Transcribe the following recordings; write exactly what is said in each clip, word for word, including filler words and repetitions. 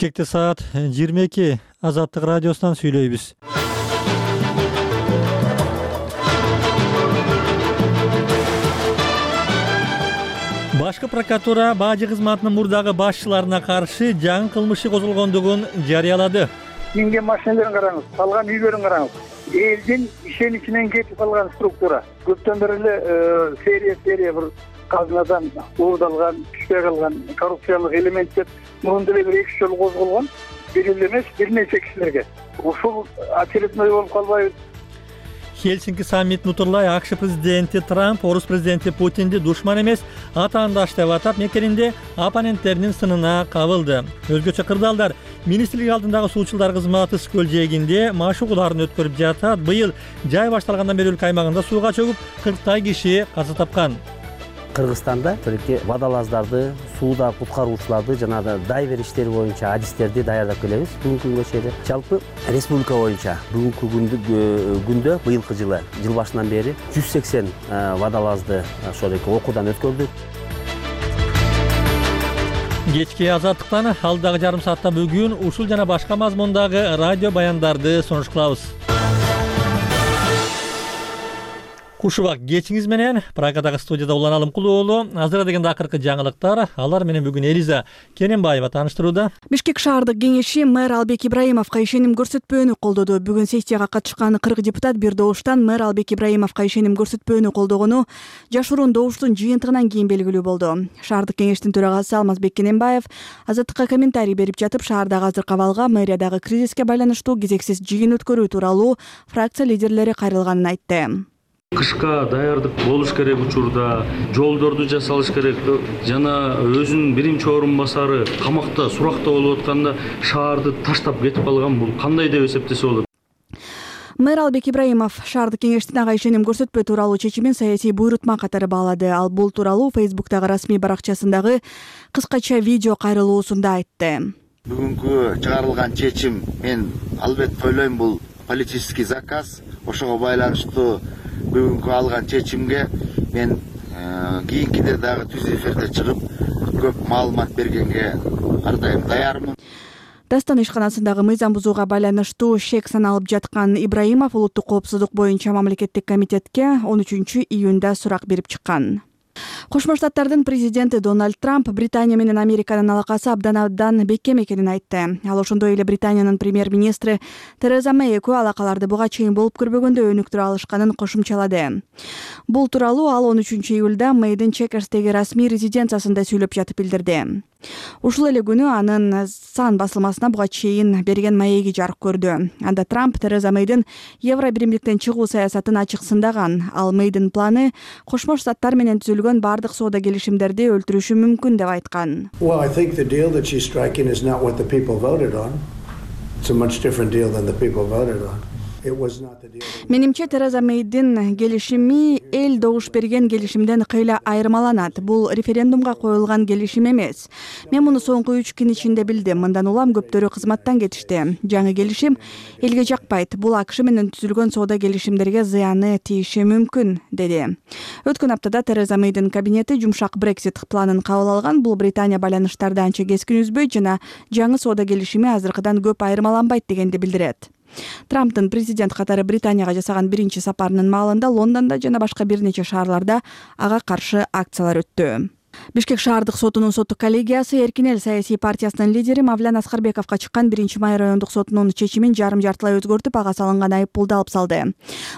Кечки саат жыйырма эки Азаттык радиосунан сүйлөйбүз. Башкы прокуратура бажы кызматынын мурдагы башчыларына каршы жаңы кылмыш иши козголгондугун жарыялады. Минген машиналарын караңыз, калган үйлөрүн караңыз. Элдин ишеничинен кетип калган структура. Көптөн бери эле серия серия бир казынадан уурдалган, түшпөй калган коррупциялык элемент деп мурун деле бир эки жолу козголгон. Бир эле эмес, бир нече кишилерге. Ушул очередной болуп калбайбы? Хельсинки саммитин утурлай АКШ президенти Трамп орус президенти Путинди душман эмес, атаандаш деп атап, мекенинде оппоненттеринин сынына кабылды. Өзгөчө кырдаалдар министрлик алдындагы суучулдар кызматы Скөл жээгинде маш угууларын өткөрүп жатат. Быйыл жай башталгандан бери өлкө аймагында сууга чөгүп кырктай киши каза тапкан. Кыргызстанда тилеке водолаздарды, сууда куткаруучуларды жана дайвер иштери боюнча адистерди даярдап келебиз. Бүгүнкү күнгө чейин жалпы республика боюнча бүгүнкү күндө быйылкы жылы жыл башынан бери жүз сексен водолазды ошол эки окуудан өткөрдүк. Кечки Азаттыктан алдагы жарым саатта бүгүн ушул жана башка мазмундагы радио баяндарды сунуш кылабыз. Куш убак кечиңиз менен Прагадагы студияда Улан Алымкулуу уулу. Азыр дегенде акыркы жаңылыктар. Алар менен бүгүн Элиза Кененбаева тааныштырууда. Бишкек шаардык кеңеши мэр Албек Ибраимовго ишеним көрсөтпөөнү колдоду. Бүгүн сессияга катышкан кырк депутат бир добуштан мэр Албек Ибраимовго ишеним көрсөтпөөнү колдогону жашыруун добуштун жыйынтыгынан кийин белгилүү болду. Шаардык кеңештин төрагасы Алмазбек Кененбаев Азаттыкка комментарий берип жатып, шаардагы азыркы абалга мэриядагы кризиске байланыштуу кезексиз жыйын өткөрүү тууралуу фракция лидерлери кайрылганын айтты. Кышка даярдык болуш керек учурда, жолдорду жасалыш керек жана өзүнүн биринчи орун басары камакта, суракта болуп атканда шаарды таштап кетип калган, бул кандай деп эсептесе болот? Мэр Албек Ибраимов шаардык кеңештин ага ишеним көрсөтпөө тууралуу чечимин саясий буйрутма катары баалады. Ал бул тууралуу Фейсбуктагы расмий баракчасындагы кыскача видео кайрылуусунда айтты. Бүгүнкү чыгарылган чечим мен албетте ойлойм бул политический заказ. Ошого байланыштуу бүгүнкү алган чечимге мен кийинкиде дагы түз эфирде чыгып көп маалымат бергенге ар дайым даярмын. Дастан ишканасындагы мыйзам бузууга байланыштуу шек саналып жаткан Ибраимов улуттук коопсуздук боюнча мамлекеттик комитетке он үчүнчү июнда сурак берип чыккан. Кошмо Штаттардын президенти Дональд Трамп Британия менен Американын алакасы абдан абдан бекем экенин айтты. Ал ошондой эле Британиянын премьер-министри Тереза Мэй экөө алакаларды буга чейин болуп көрбөгөндө өнүктүрө алышканын кошумчалады. Бул тууралуу ал он үчүнчү июлда Мэйдин Чекерстеги расмий резиденциясында сүйлөп жатып билдирди. Ушул эле күнү анын Сан басылмасына буга чейин берген маеги жарык көрдү. Анда Трамп Тереза Мэйдин Евро биримдиктен чыгуу саясатын ачык сындаган. Ал Мэйдин планы Кошмо Штаттар менен түзүлгөн бардык соода келишимдерди өлтүрүшү мүмкүн деп айткан. Well, I think the deal that she's striking is not what the people voted on. It's a much different deal than the people voted on. It was not the deal. Менимче Тереза Мэйдин келишими эл добуш берген келишимден кыйла айырмаланат. Бул референдумга коюлган келишим эмес. Мен муну соңку үч күн ичинде билдим. Мындан улам көптөрү кызматтан кетишти. Жаңы келишим элге жакпайт. Бул АКШ менен түзүлгөн соода келишимдерге зыяны тийиши мүмкүн, деди. Өткөн аптада Тереза Мэйдин кабинети жумшак Брексит планын кабыл алган. Бул Британия байланыштарды анча кескин үзбөйт жана жаңы соода келишими азыркыдан көп айырмаланбайт дегенди билдирет. Трамптын президент катары Британияга жасаган биринчи сапарынын маалында Лондондо жана башка бир нече шаарларда ага каршы акциялар өттү. Бишкек шаардык сотунун соттук коллегиясы Эркин эл саясий партиясынын лидери Мавлян Аскарбековго чыккан биринчи май райондук сотунун чечимин жарым жартылай өзгөртүп, ага салынган айыппулду алып салды.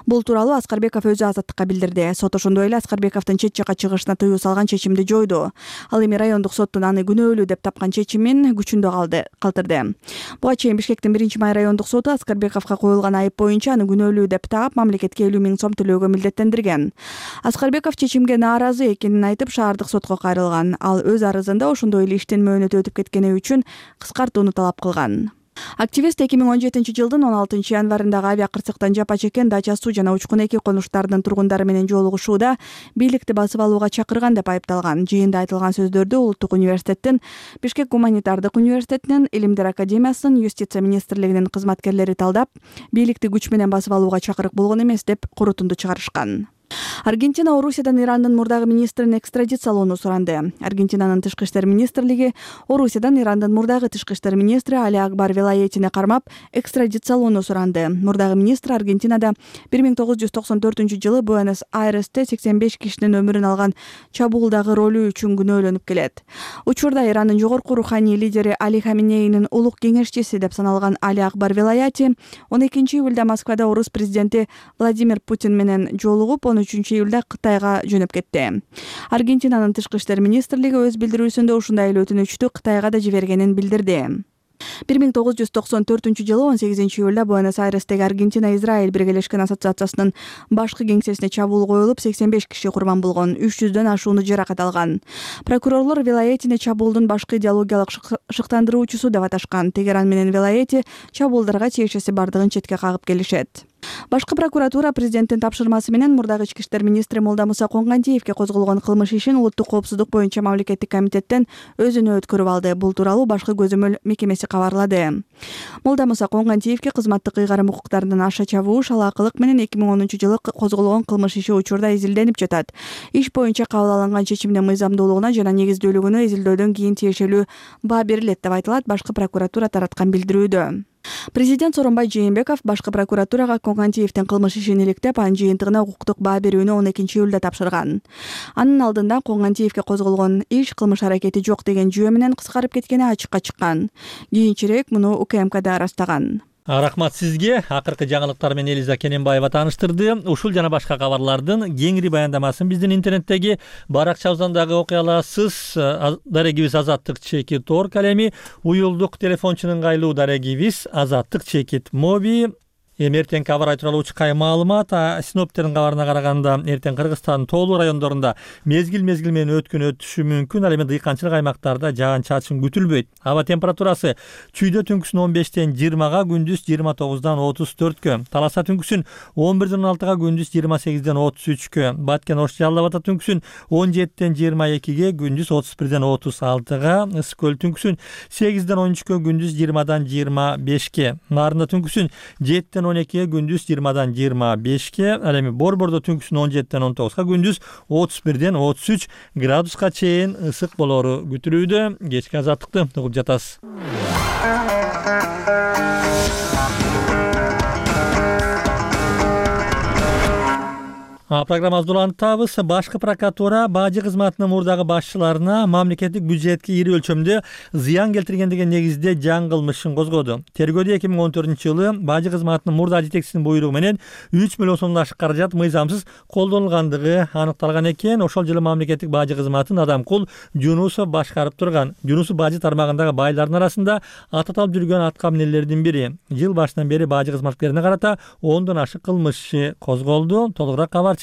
Бул тууралуу Аскарбеков өзү Азаттыкка билдирди. Сот ошондой эле Аскарбековдун чет жакка чыгышына тыюу салган чечимди жойду. Ал эми райондук соттун аны күнөөлүү деп тапкан чечимин күчүндө калды калтырды. Буга чейин Бишкектин биринчи май райондук соту Аскарбековго коюлган айып боюнча аны күнөөлүү деп таап, мамлекетке элүү миң сом төлөөгө милдеттендирген. Аскарбеков чечимге нааразы экенин айтып, шаардык сотко кайрылган. Ал өз арызында ошондой эле иштин мөөнөтү өтүп кеткени үчүн кыскартууну талап кылган. Активист эки миң он жетинчи жылдын он алтынчы январындагы авиакырсыктан жапа чеккен Дача суу жана Учкун эки конуштарынын тургундары менен жолугушууда бийликти басып алууга чакырган деп айыпталган. Жыйында айтылган сөздөрдү Улуттук университеттин, Бишкек гуманитардык университетинин, Илимдер академиясынын, Юстиция министрлигинин кызматкерлери талдап, бийликти күч менен басып алууга чакырык болгон эмес деп корутунду чыгарышкан. Аргентина Орусиядан Ирандын мурдагы министрин экстрадициялоону суранды. Аргентинанын тышкы иштер министрлиги Орусиядан Ирандын мурдагы тышкы иштер министри Али Акбар Велаетине кармап экстрадициялоону суранды. Мурдагы министр Аргентинада бир миң тогуз жүз токсон төртүнчү жылы Буэнос-Айресте сексен беш кишинин өмүрүн алган чабуулдагы ролу үчүн күнөөлөнүп келет. Учурда Ирандын жогорку руханий лидери Али Хаминейнин улук кеңешчиси деп саналган Али Акбар Велаети он экинчи июлда Москвада орус президенти Владимир Путин менен жолугуп, он үчүнчү июлда Кытайга жөнөп кетти. Аргентинанын тышкы иштер министрлиги өз билдирүүсүндө ушундай эле өтүнүчтү Кытайга да жибергенин билдирди. бир миң тогуз жүз токсон төртүнчү жылы он сегизинчи июлда Буэнос-Айрестеги Аргентина-Израиль биргелешкен ассоциациясынын башкы кеңсесине чабуул коюлуп, сексен беш киши курман болгон, үч жүздөн ашууну жаракат алган. Прокурорлор Велаетине чабуулдун башкы идеологиялык шыктандыруучусу деп аташкан. Тегеран менен Велаети чабуулдарга тиешеси бардыгын четке кагып келишет. Башкы прокуратура президенттин тапшырмасы менен мурдагы ички иштер министри Молдамуса Конгантиевке козголгон кылмыш ишин улуттук коопсуздук боюнча мамлекеттик комитеттен өзүнө өткөрүп алды. Бул тууралуу башкы көзөмөл мекемеси кабарлады. Молдамуса Конгантиевке кызматтык ыйгарым укуктарынан аша чабуу, шалаакылык менен эки миң онунчу жылы козголгон кылмыш иши учурда изилденип жатат. Иш боюнча кабыл алынган чечимдин мыйзамдуулугуна жана негиздүүлүгүнө изилдөөдөн кийин тиешелүү баа берилет деп айтылат башкы прокуратура тараткан билдирүүдө. Президент Сооронбай Жээнбеков башкы прокуратурага Конгантиевдин кылмыш ишин иликтеп, анын жыйынтыгына укуктук баа берүүнү он экинчи июлда тапшырган. Анын алдында Конгантиевке козголгон иш кылмыш аракети жок деген жүйө менен кыскарып кеткени ачыкка чыккан. Кийинчерээк муну УКМКда ырастаган. Рахмат сизге. Акыркы жаңылыктар менен Элиза Кененбаева тааныштырды. Ушул жана башка кабарлардын кеңири баяндамасын биздин интернеттеги баракчабыздан дагы окуй аласыз. Дарегибиз Азаттык чекит орг алеми уюлдук телефончунун ыңгайлуу дарегибиз Азаттык чекит моби. Эми эртең кабар айтыралуучу кай маалымат, синоптиктердин кабарына караганда эртең Кыргызстандын тоолуу райондорунда мезгил-мезгил менен өткөн өтүшү мүмкүн. Ал эми дыйканчылык аймактарда жаан-чачын күтүлбөйт. Аба температурасы чүйдө түнкүсүн он бештен жыйырмага, күндүз жыйырма тогуздан отуз төрткө, Таласа түнкүсүн он бирден он алтыга, күндүз жыйырма сегизден отуз үчкө, Баткен Ош Жалал Абад түнкүсүн он жетиден жыйырма экиге, күндүз отуз бирден отуз алтыга, Ысык көл түнкүсүн сегизден он үчкө, күндүз жыйырмадан жыйырма бешке, Нарында түнкүсүн жетиден он экиге, күндүз жыйырмадан жыйырма бешке, ал эми Борбордо түнкүсүн он жетиден он тогузга, күндүз отуз бирден отуз үч градуска чейин ысык болору күтүлүүдө. Кечки азаттыкты угуп жатасыз. Программабызды улантабыз. Башкы прокуратура бажы кызматынын мурдагы башчыларына мамлекеттик бюджетке ири өлчөмдө зыян келтирген деген негизде жаңы кылмышын козгоду. Тергөөдө эки миң он төртүнчү жылы бажы кызматынын мурдагы жетекчисинин буйругу менен үч миллион сомдон ашык каражат мыйзамсыз колдонулгандыгы аныкталган экен. Ошол жылы мамлекеттик бажы кызматын Адамкул Жунусов башкарып турган. Жунусов бажы тармагындагы байлардын арасында ататалып жүргөн атка минелердин бири. Жыл башынан бери бажы кызматкерине карата ондон ашык кылмыш иши козголду. Толугураак кабар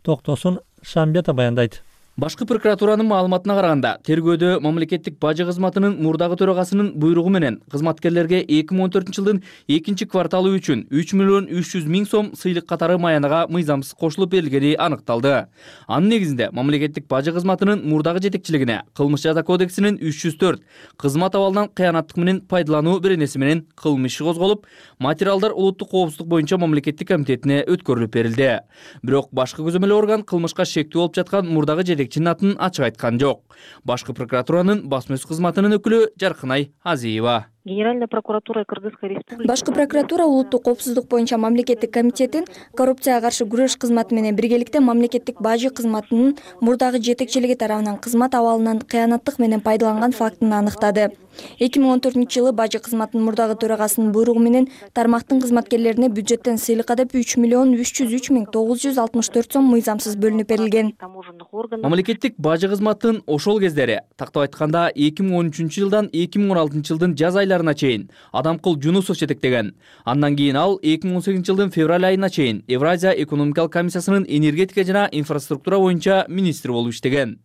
Токтосун Шамбета баяндайт. Башкы прокуратуранын маалыматына караганда, тергөөдө мамлекеттик бажы кызматынын мурдагы төрагасынын буйругу менен кызматкерлерге эки миң он төртүнчү жылдын экинчи кварталы үчүн үч миллион үч жүз миң сом сыйлык катары маянага мыйзамсыз кошулуп берилгени аныкталды. Анын негизинде мамлекеттик бажы кызматынын мурдагы жетекчилигине Кылмыш жаза кодексинин үч жүз төрт кызмат абалынан кыянаттык менен пайдалануу беренеси менен кылмыш иши козголуп, материалдар улуттук коопсуздук боюнча мамлекеттик комитетине өткөрүлүп берилди. Бирок башкы көзөмөл орган кылмышка шектүү болуп жаткан мурдагы жетекчинин атын ачык айткан жок. Башкы прокуратуранын басма сөз кызматынын өкүлү Жаркынай Азиева. Генеральная прокуратура Кыргызской республики. Башкы прокуратура улуттук коопсуздук боюнча мамлекеттик комитетин коррупцияга каршы күрөш кызматы менен биргеликте мамлекеттик бажы кызматынын мурдагы жетекчилиги тарабынан кызмат абалынан кыянаттык менен пайдаланган фактын аныктады. эки миң он төртүнчү жылы бажы кызматынын мурдагы төрагасынын буйругу менен тармактын кызматкерлерине бюджеттен сыйлыкка деп үч миллион үч жүз үч миң тогуз жүз алтымыш төрт сом мыйзамсыз бөлүнүп берилген. Мамлекеттик бажы кызматынын ошол кездери, тактап айтканда эки миң он үчүнчү жылдан эки миң он алтынчы жылдын жаз айларына чейин Адамкул Жунусов жетектеген. Андан кийин ал эки миң он сегизинчи жылдын февраль айына чейин Евразия экономикалык комиссиясынын энергетика жана инфраструктура боюнча министр болуп иштеген.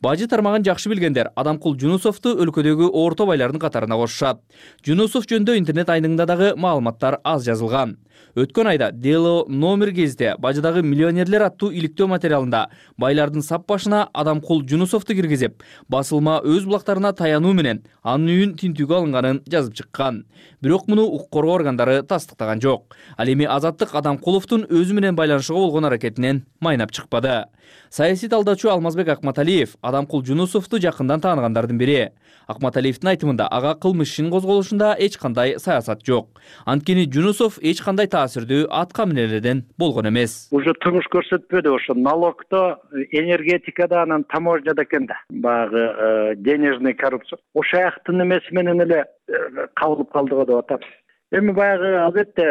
Бажы тармагын жакшы билгендер Адамкул Жунусовду өлкөдөгү орто байлардын катарына кошушат. Жунусов жөнүндө интернет айныңда дагы маалыматтар аз жазылган. Өткөн айда Дело номер кезде бажыдагы миллионерлер аттуу иликтөө материалында байлардын сап башына Адамкул Жунусовду киргизип, басылма өз булактарына таянуу менен анын үйүн тинтүүгө алынганын жазып чыккан. Бирок муну укук коргоо органдары тастыктаган жок. Ал эми Азаттык Адамкуловдун өзү менен байланышууга болгон аракетинен майнап чыкпады. Саясий талдаачу Алмазбек Акматалиев Адамкул Жунусовду жакындан тааныгандардын бири. Акматалиевдин айтымында ага кылмыш ишин козголушунда эч кандай саясат жок. Анткени Жунусов эч кандай таасирдүү атка минелерден болгон эмес. Уже турмуш көрсөтпөдү, ошо налогдо, энергетикада, анан таможняда экен да. Баягы денежный коррупция. Ошо жактын эмеси менен эле кабылып калды го деп атабыз. Эми баягы албетте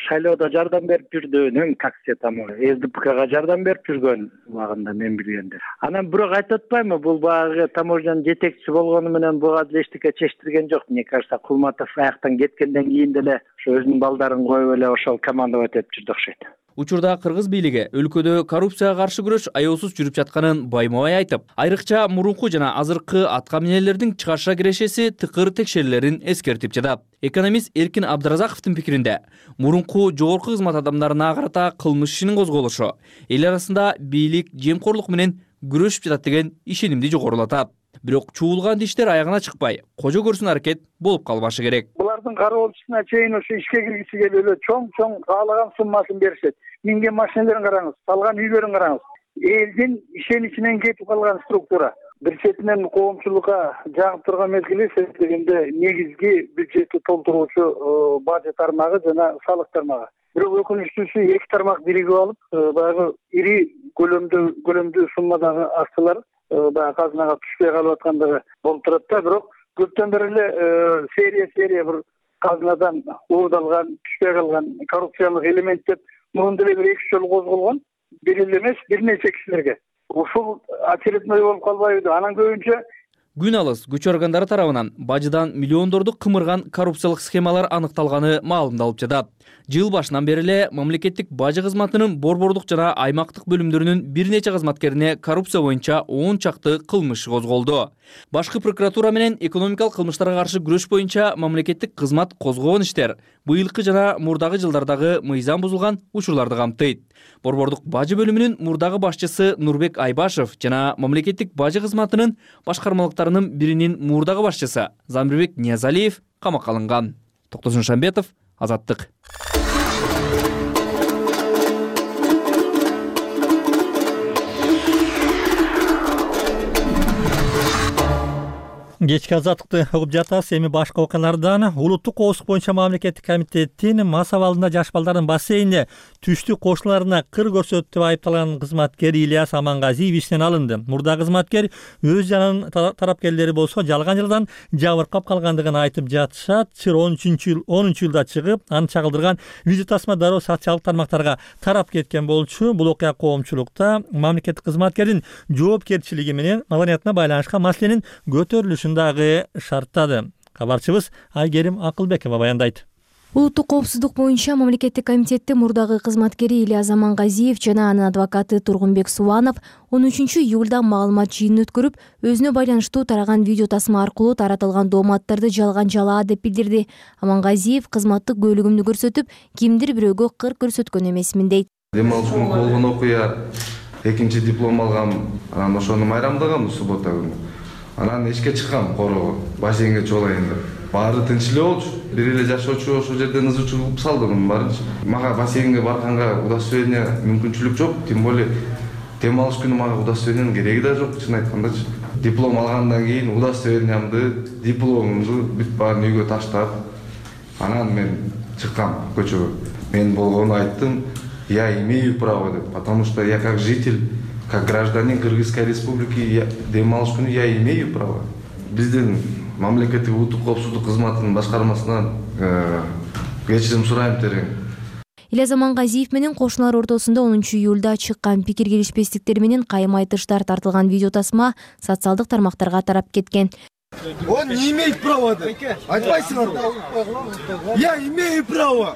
шайлоодо жардам берип жүрдү, нөн каксе там СДПКга жардам берип жүргөн убагында мен билгенде. Анан бирок айтып атпаймынбы, бул баягы таможнянын жетекчиси болгону менен буга деле эчтеке чечтирген жок. Мне кажется, Кулматов аяктан кеткенден кийин деле ошо өзүнүн балдарын коюп эле ошол командовать этип жүрдү окшойт. Учурда кыргыз бийлиги өлкөдө коррупцияга каршы күрөш аеосуз жүрүп жатканын байма-бай айтып, айрыкча мурунку жана азыркы атка минелердин чыгарша кирешеси тыкыр текшерүүлөрүн эскертип жатат. Экономист Эркин Абдыразаковдун пикиринде, мурунку жогорку кызмат адамдарына карата кылмыш ишинин козголушу эл арасында бийлик жемкорлук менен күрөшүп жатат деген ишенимди жогорулатат. Бирок чуулган диштер аягына чыкпай, кожо көрсүн аракет болуп калбашы керек. Булардын кароолчусуна чейин ошо ишке киргиси келип эле чоң-чоң каалаган суммасын беришет. Минген машиналарын караңыз, салган үйлөрүн караңыз. Элдин ишеничинен кетип калган структура. Бир четинен коомчулукка жагып турган мезгили дегенде негизги бюджетти толтуруучу бажы тармагы жана салык тармагы. Бирок өкүнүчтүүсү эки тармак биригип алып, баягы ири көлөмдүү көлөмдүү суммадагы акчалар баягы казынага түшпөй калып аткандыгы болуп турат да. Бирок көптөн бери эле серия серия бир казынадан уурдалган, түшпөй калган коррупциялык элемент деп мурун деле бир эки жолу козголгон. Бир эле эмес, бир нече кишилерге. Ушул очередной болуп калбайбы? Анан көбүнчө күн алыс күч органдары тарабынан бажыдан миллиондорду кымырган коррупциялык схемалар аныкталганы маалымдалып жатат. Жыл башынан бери эле мамлекеттик бажы кызматынын борбордук жана аймактык бөлүмдөрүнүн бир нече кызматкерине коррупция боюнча он чакты кылмыш козголду. Башкы прокуратура менен экономикалык кылмыштарга каршы күрөш боюнча мамлекеттик кызмат козгогон иштер быйылкы жана мурдагы жылдардагы мыйзам бузулган учурларды камтыйт. Борбордук бажы бөлүмүнүн мурдагы башчысы Нурбек Айбашев жана мамлекеттик бажы кызматынын башкармалыктарынын биринин мурдагы башчысы Замирбек Ниязалиев камакка алынган. Токтосун Шамбетов, Азаттык. Кечки Азаттыкты угуп жатасыз. Эми башка окуялардан улуттук коопсуздук боюнча мамлекеттик комитеттин мас абалында жаш балдардын бассейнине түштү кошуналарына кыр көрсөттү деп айыпталган кызматкер Ильяс Амангазиев иштен алынды. Мурдагы кызматкер өз жанын тарапкерлери болсо жалган жылдан жабыркап калгандыгын айтып жатышат. Чыр он үчүнчү жылда чыгып, аны чагылдырган видео тасма дароо социалдык тармактарга тарап кеткен болчу. Бул окуя коомчулукта мамлекеттик кызматкердин жоопкерчилиги менен маданиятына байланышкан маселенин көтөрүлүшүн дагы шарттады. Кабарчыбыз Айгерим Акылбекова баяндайт. Улуттук коопсуздук боюнча мамлекеттик комитеттин мурдагы кызматкери Ильяс Амангазиев жана анын адвокаты Тургунбек Субанов он үчүнчү июлда маалымат жыйынын өткөрүп, өзүнө байланыштуу тараган видео тасма аркылуу таратылган дооматтарды жалган жалаа деп билдирди. Амангазиев кызматтык көйлөгүмдү көрсөтүп, кимдир бирөөгө кыр көрсөткөн эмесмин дейт. Дем алыш күнү болгон окуя, экинчи диплом алгам, анан ошону майрамдагам суббота күнү. Анан ишке чыккам короо, бассейнге чоолайын деп. Баары тынч эле болчу. Бир эле жашоочу ошол жерден ызы чыгып салды мунун баарынча. Мага бассейнге барганга удостоверение мүмкүнчүлүк жок, тем более дем алыш күнү мага удостоверениянын кереги да жок, чын айткандачы. Диплом алгандан кийин удостоверениямды, дипломумду бүт баарын үйгө таштап, анан мен чыккам көчөгө. Мен болгону айттым, я имею право деп, потому что я как житель, как гражданин Кыргызской республики дем алыш күнү я имею право. Биздин мамлекеттик улуттук коопсуздук кызматынын башкармасынан кечирим сурайм терең. Ильяс Амангазиев менен кошуналар ортосунда онунчу июлда чыккан пикир келишпестиктер менен кайым айтыштар тартылган видео тасма социалдык тармактарга тарап кеткен. Он не имеет права. Айтпайсыңар. Я имею право.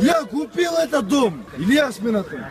Я купил этот дом. Ильяс мен атым.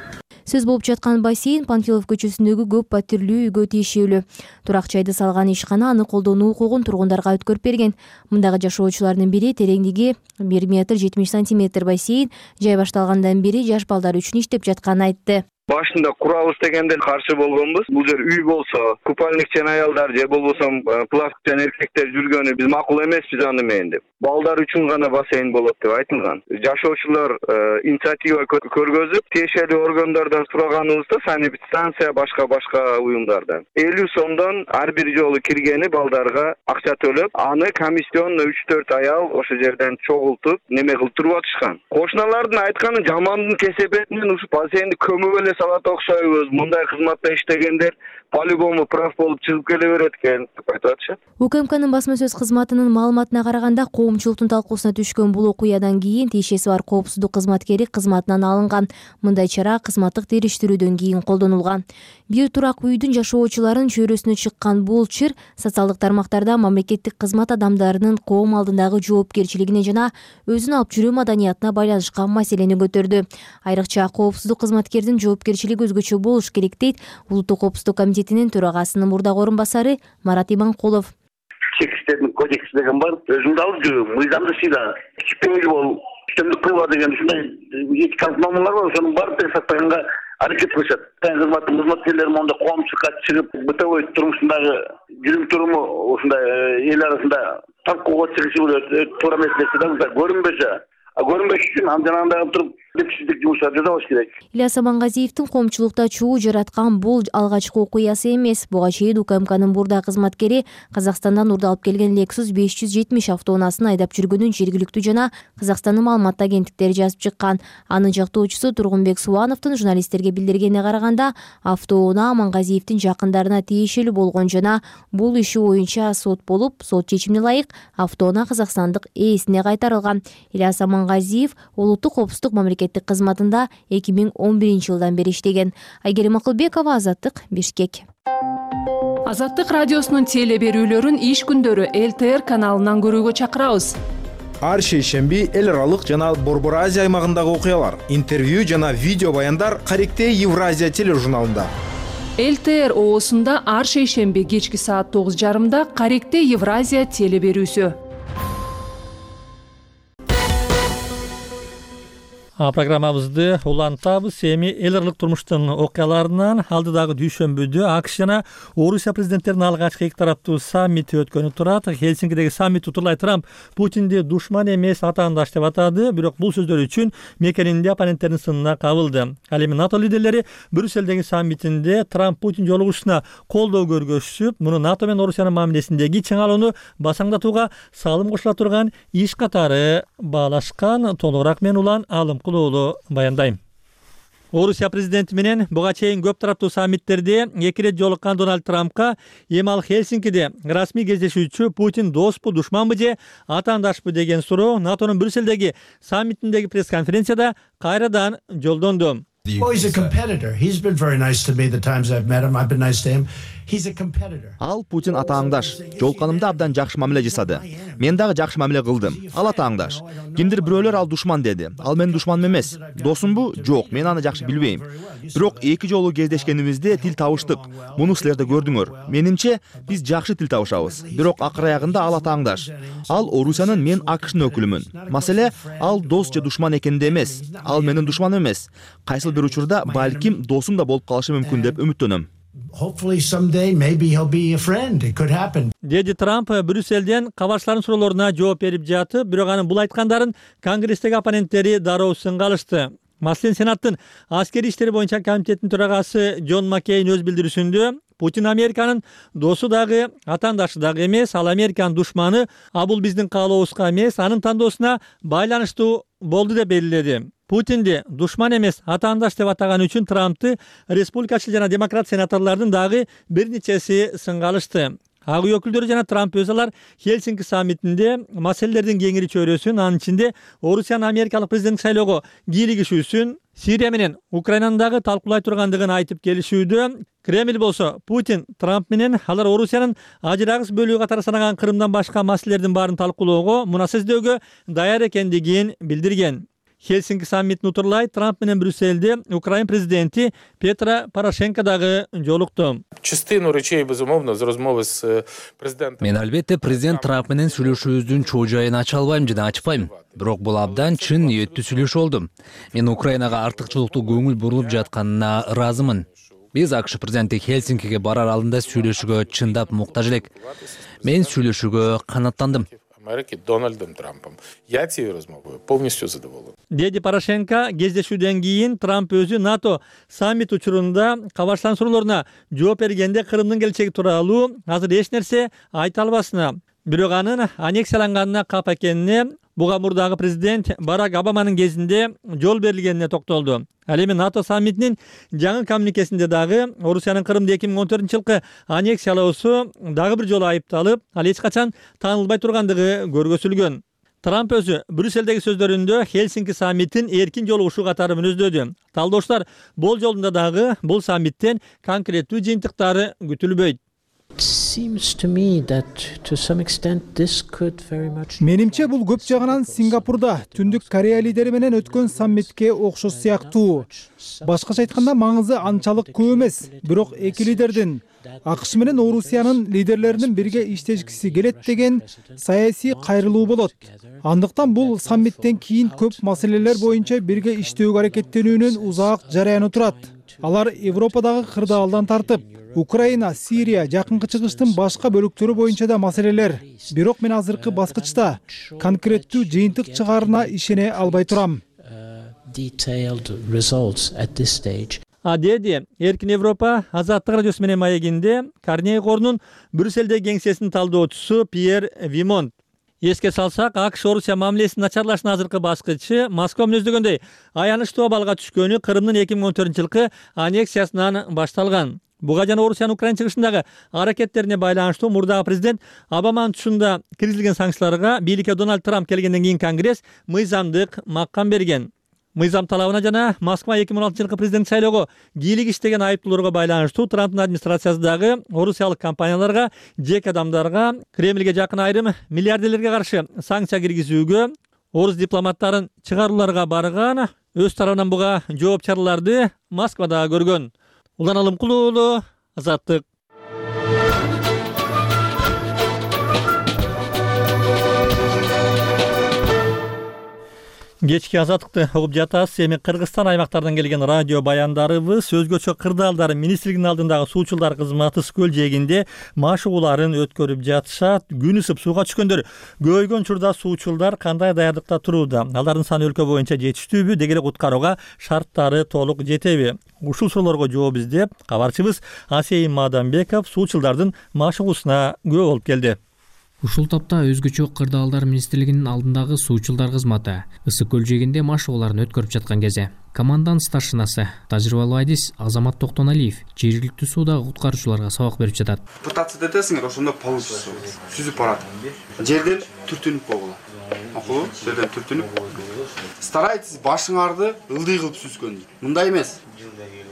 Сөз болуп жаткан бассейн Панфилов көчөсүндөгү көп паттирлүү үйгө тиешелүү. Турак жайды салган ишкана аны колдонуу укугун тургундарга өткөрүп берген. Мындагы жашоочулардын бири тереңдиги бир метр жетимиш сантиметр бассейн жай башталгандан бери жаш балдар үчүн иштеп жатканын айтты. Башында курабыз дегенде каршы болгонбуз. Бул жер үй болсо, купальникчен аялдар же болбосо плавкчен эркектер жүргөнү биз макул эмеспиз аны менен деп. Балдар үчүн гана бассейн болот деп айтылган. Жашоочулар инициатива көргөзүп, тиешелүү органдардан сураганыбызда санэпидстанция башка башка уюмдардан элүү сомдон ар бир жолу киргени балдарга акча төлөп, аны комиссионно үч төрт аял ошо жерден чогултуп, неме кылып туруп атышкан. Кошуналардын айтканы жамандын кесепетинен ушу бассейнди көмүп эле салат окшойбуз. Мындай кызматта иштегендер по-любому прав болуп чыгып келе берет экен деп айтып атышат. УКМКнын басма сөз кызматынын маалыматына караганда, коомчулуктун талкуусуна түшкөн бул окуядан кийин тиешеси бар коопсуздук кызматкери кызматынан алынган. Мындай чара кызматтык териштирүүдөн кийин колдонулган. Бир турак үйдүн жашоочуларын чөйрөсүнө чыккан бул чыр социалдык тармактарда мамлекеттик кызмат адамдарынын коом алдындагы жоопкерчилигине жана өзүн алып жүрүү маданиятына байланышкан маселени көтөрдү. Айрыкча коопсуздук кызматкердин жоопкерчилиги өзгөчө болуш керек дейт Улуттук коопсуздук комитетинин төрагасынын мурдагы орун басары Марат Иманкулов. Чек иштердин кодекси деген бар. Өзүңдү алып жүрүү, мыйзамды сыйла, кичпеңил бол, үстөмдүк кылба деген ушундай этикалык нормалар бар. Ошонун баардыгын сактаганга аракет кылышат. Кызматтын кызматкерлери монда коомчулукка чыгып, бытовой турмушундагы жүрүм туруму ушундай эл арасында талкууга чыгышы болот, туура эмес нерсе да көрүнбөсө, а көрүнбөш үчүн андагы туруп депсиздик жумуштарды жасабаш керек. Ильяс Амангазиевдин коомчулукта чуу жараткан бул алгачкы окуясы эмес. Буга чейин УКМКнын бурда кызматкери Казакстандан урду алып келген Lexus беш жүз жетимиш автоунаасын айдап жүргөнүн жергиликтүү жана Казакстандын маалымат агенттиктери жазып чыккан. Анын жактоочусу Тургунбек Субановдун журналисттерге билдиргенине караганда, автоунаа Амангазиевдин жакындарына тиешелүү болгон жана бул иши боюнча сот болуп, сот чечимине ылайык автоунаа казакстандык ээсине кайтарылган. Ильяс Амангазиев Улуттук коопсуздук мамлекеттик кызматында эки миң он биринчи жылдан бери иштеген. Айгерим Акылбекова, Азаттык, Бишкек. Азаттык радиосунун теле берүүлөрүн иш күндөрү эл тэ эр каналынан көрүүгө чакырабыз. Ар шейшемби эл аралык жана Борбор Азия аймагындагы окуялар, интервью жана видео баяндар Каректе Евразия тележурналында. эл тэ эр оосунда ар шейшемби кечки саат тогуз жарымда Каректе Евразия теле берүүсү. Программабызды улантабыз. Эми эл аралык турмуштун окуяларынан алдыдагы дүйшөмбүдө АКШ жана Орусия президенттеринин алгачкы эки тараптуу саммити өткөнү турат. Хельсинкидеги саммит утурлай Трамп Путинди душман эмес атаандаш деп атады, бирок бул сөздөр үчүн мекенинде оппоненттердин сынына кабылды. Ал эми НАТО лидерлери Брюссельдеги саммитинде Трамп Путин жолугушуна колдоо көргөзүп, муну НАТО менен Орусиянын мамилесиндеги чыңалууну басаңдатууга салым кошула турган иш катары баалашкан. Толугураак мен Улан Алым баяндайм. Орусия президенти менен буга чейин көп тараптуу саммиттерде эки ирет жолуккан Дональд Трампка эми ал Хельсинкиде расмий кездешүүчү Путин доспу, душманбы же атаандашпы деген суроо НАТОнун Брюссельдеги саммитиндеги пресс-конференцияда кайрадан жолдонду. Well, he's a competitor. He's been very nice to me the times I've met him. I've been nice to him. He's a competitor. Ал Путин атааңдаш. Жолканымда абдан жакшы мамиле жасады. Мен дагы жакшы мамиле кылдым. Ал атааңдаш. Кимдир бирөөлөр ал душман деди. Ал менин душманым эмес. Досумбу? Жок, мен аны жакшы билбейм. Бирок эки жолу кездешкенибизде тил табыштык. Муну силер да көрдүңөр. Менимче биз жакшы тил табышабыз. Бирок акыр аягында ал атааңдаш. Ал Орусиянын, мен АКШнын өкүлүмүн. Маселе ал дос же душман экенде эмес. Ал менин душманым эмес. Кайсыл бир учурда балким досум да болуп калышы мүмкүн деп үмүттөнөм. Hopefully someday maybe he'll be a friend. It could happen. Деди Трамп Брюссельден кабарчылардын суроолоруна жооп берип жатып, бирок анын бул айткандарын Конгресстеги оппоненттери дароо сынга алышты. Маселен, Сенаттын аскери иштери боюнча комитеттин төрагасы Джон Маккейн өз билдирүүсүндө Путин Американын досу дагы, атаандашы дагы эмес, ал Американын душманы, а бул биздин каалообузга эмес, анын тандоосуна байланыштуу болду деп белгиледи. Путинди душман эмес, атаандаш деп атаганы үчүн Трампты республикачыл жана демократ сенаторлордун дагы бир нечеси сынга алышты. Ак үй өкүлдөрү жана Трамп өзү алар Хельсинки саммитинде маселелердин кеңири чөйрөсүн, анын ичинде Орусиянын америкалык президенттик шайлоого кийлигишүүсүн, Сирия менен Украинаны дагы талкуулай тургандыгын айтып келишүүдө. Кремль болсо Путин, Трамп менен алар Орусиянын ажырагыс бөлүгү катары санаган Крымдан башка маселелердин баарын талкуулоого, муна сөздөөгө даяр экендигин билдирген. Хельсинки саммитин утурлай Трамп менен Брюссельде Украина президенти Петро Порошенко дагы жолукту. Частину речей, безумовно, з розмови з президентом. Мен албетте президент Трамп менен сүйлөшүүбүздүн чоо жайын ача албайм жана ачпайм. Бирок бул абдан чын ниеттүү сүйлөшүү болду. Мен Украинага артыкчылыктуу көңүл бурулуп жатканына ыраазымын. Биз АКШ президенти Хельсинкиге барар алдында сүйлөшүүгө чындап муктаж элек. Мен сүйлөшүүгө канаттандым. Америки Дональдом Трампом. Я цією розмовою повністю задоволений. Деди Порошенко кездешүүдөн кийин Трамп өзү НАТО саммит учурунда Кабарстан суроолоруна жооп бергенде Крымдын келечеги тууралуу азыр эч нерсе айта албасына, бирок анын аннексияланганына кап экенине, буга мурдагы президент Барак Обаманын кезинде жол берилгенине токтолду. Ал эми НАТО саммитинин жаңы коммуникесинде дагы Орусиянын Крымды эки миң он төртүнчү жылкы аннексиялоосу дагы бир жолу айыпталып, ал эч качан таанылбай тургандыгы көргөзүлгөн. Трамп өзү Брюссельдеги сөздөрүндө Хельсинки саммитин эркин жолугушуу катары мүнөздөдү. Талдоочулар бул жолунда дагы бул саммиттен конкреттүү жыйынтыктары күтүлбөйт. Менимче бул көп жагынан Сингапурда Түндүк Корея лидери менен өткөн саммитке окшош сыяктуу. Башкача айтканда маңызы анчалык көп эмес, бирок эки лидердин АКШ менен Орусиянын лидерлеринин бирге иштешкиси келет деген саясий кайрылуу болот. Андыктан бул саммиттен кийин көп маселелер боюнча бирге иштөөгө аракеттенүүнүн узак жараяны турат. Алар Европадагы кырдаалдан тартып, Украина, Сирия, Жакынкы Чыгыштын башка бөлүктөрү боюнча да маселелер. Бирок мен азыркы баскычта конкреттүү жыйынтык чыгаарына ишене албай турам. А деди Эркин Европа Азаттык радиосу менен маегинде Карнеги корунун Брюссельдеги кеңсесинин талдоочусу Пьер Вимонт. Эске салсак, АКШ Орусия мамилесинин начарлашынын азыркы баскычы Москва мүнөздөгөндөй аянычтуу абалга түшкөнү Крымдын эки миң он төртүнчү жылкы аннексиясынан башталган. Буга жана Орусиянын Украина чыгышындагы аракеттерине байланыштуу мурдагы президент Обаманын тушунда киргизилген санкцияларга бийликке Дональд Трамп келгенден кийин Конгресс мыйзамдык макам берген. Мыйзам талабына жана Москва эки миң он алтынчы жылкы президент шайлоого кийлик иштеген айыптууларга байланыштуу Трамптын администрациясы дагы орусиялык компанияларга, жеке адамдарга, Кремльге жакын айрым миллиардерлерге каршы санкция киргизүүгө, орус дипломаттарын чыгарууларга барган, өз тарабынан буга жооп чараларды Москвада көргөн. Улан Алымкулуу уулу, Азаттык. Кечки Азаттыкты угуп жатасыз. Эми Кыргызстан аймактардан келген радио баяндарыбыз өзгөчө кырдаалдар министрлигинин алдындагы суучулдар кызматы Скөл жээгинде машыгууларын өткөрүп жатышат. Күн ысып сууга түшкөндөр көбөйгөн учурда суучулдар кандай даярдыкта турууда? Алардын саны өлкө боюнча жетиштүүбү? Деги эле куткарууга шарттары толук жетеби? Ушул суроолорго жооп издеп, кабарчыбыз Асейин Маданбеков суучулдардын машыгуусуна күбө болуп келди. Ушул тапта өзгөчө кырдаалдар министрлигинин алдындагы суучулдар кызматы Ысык көл жээгинде машыгууларын өткөрүп жаткан кезде командант старшинасы тажрыйбалуу адис Азамат Токтоналиев жергиликтүү суудагы куткаруучуларга сабак берип жатат. Пытаться этесиңер, ошондо получится. Сүзүп барат. Жерден түртүнүп койгула. Макулбу? Жерден түртүнүп. Старайтесь башыңарды ылдый кылып сүзгөн. Мындай эмес.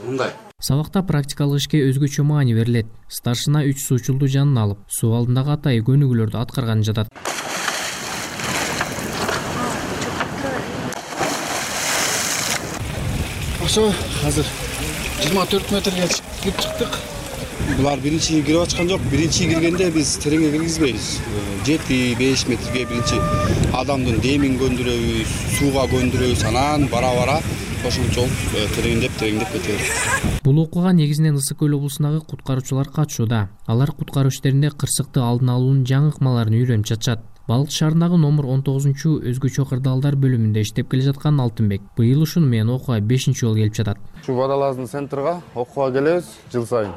Мындай. Сабакта практикалык ишке өзгөчө маани берилет. Старшина үч суучулду жанына алып, суу алдындагы атайы көнүгүүлөрдү аткарганы жатат. Ошо азыр жыйырма төрт метрге чыгып чыктык. Булар биринчи кирип ачкан жок. Биринчи киргенде биз тереңге киргизбейбиз. жети беш метрге биринчи адамдын демин көндүрөбүз, сууга көндүрөбүз, анан бара-бара ошончол тереңдеп тереңдеп кетебиз. Бул окууга негизинен Ысык көл облусундагы куткаруучулар катышууда. Алар куткаруу иштеринде кырсыкты алдын алуунун жаңы ыкмаларын үйрөнүп жатышат. Балык шаарындагы номер он тогузунчу өзгөчө кырдаалдар бөлүмүндө иштеп келе жаткан Алтынбек быйыл ушуну менен окууга бешинчи жолу келип жатат. Ушу Водолаздын центрга окууга келебиз жыл сайын.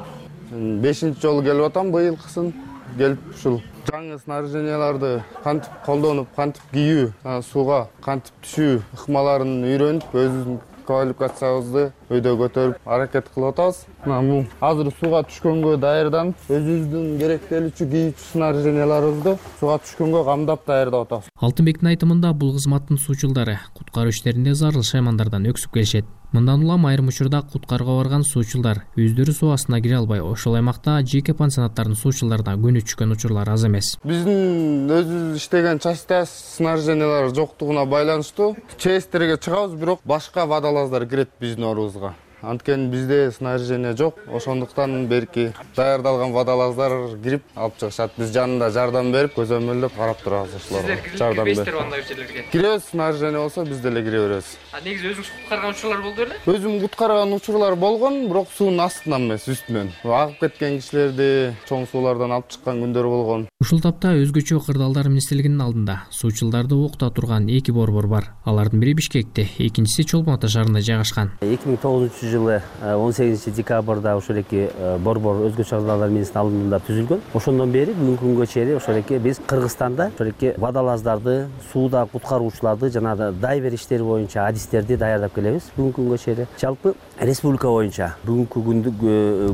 бешинчи жолу келип атам, быйылкысын келип ушул жаңы снаряженияларды кантип колдонуп, кантип кийүү, сууга кантип түшүү ыкмаларын үйрөнүп, өзүбүздүн квалификациябызды өйдө көтөрүп аракет кылып атабыз. Мына бул азыр сууга түшкөнгө даярданып, өзүбүздүн керектелүүчү кийүүчү снаряженияларыбызды сууга түшкөнгө камдап даярдап атабыз. Алтынбектин айтымында бул кызматтын суучулдары куткаруу иштеринде зарыл шаймандардан өксүп келишет. Мындан улам айрым учурда куткарууга барган суучулдар өздөрү суу астына кире албай, ошол аймакта жеке пансионаттардын суучулдарына көнүп түшкөн учурлар аз эмес. Биздин өзүбүз иштеген частта снаряжениялар жоктугуна байланыштуу чеестерге чыгабыз, бирок башка водолаздар кирет биздин орубузга. Анткени бизде снаряжение жок, ошондуктан берки даярдалган водолаздар кирип алып чыгышат. Биз жанында жардам берип, көзөмөлдөп карап турабыз ошолорго. Жардам берип. Киребиз, снаряжение болсо биз деле кире беребиз. А негизи өзүңүз куткарган учурлар болду беле? Өзүм куткарган учурлар болгон, бирок суунун астынан эмес, үстүнөн. Агып кеткен кишилерди чоң суулардан алып чыккан күндөр болгон. Ушул тапта өзгөчө кырдаалдар министрлигинин алдында суучулдарды окута турган эки борбор бар. Алардын бири Бишкекте, экинчиси Чолпон Ата шаарында жайгашкан. эки миң тогузунчу жылы он сегизинчи декабрда ошол эки борбор өзгөчө кырдаалдар министрлигинин алдында түзүлгөн. Ошондон бери бүгүнкү күнгө чейин ошол эки биз Кыргызстанда ошол эки водолаздарды, сууда куткаруучуларды жана дайвер иштери боюнча адистерди даярдап келебиз. Бүгүнкү күнгө чейин жалпы республика боюнча бүгүнкү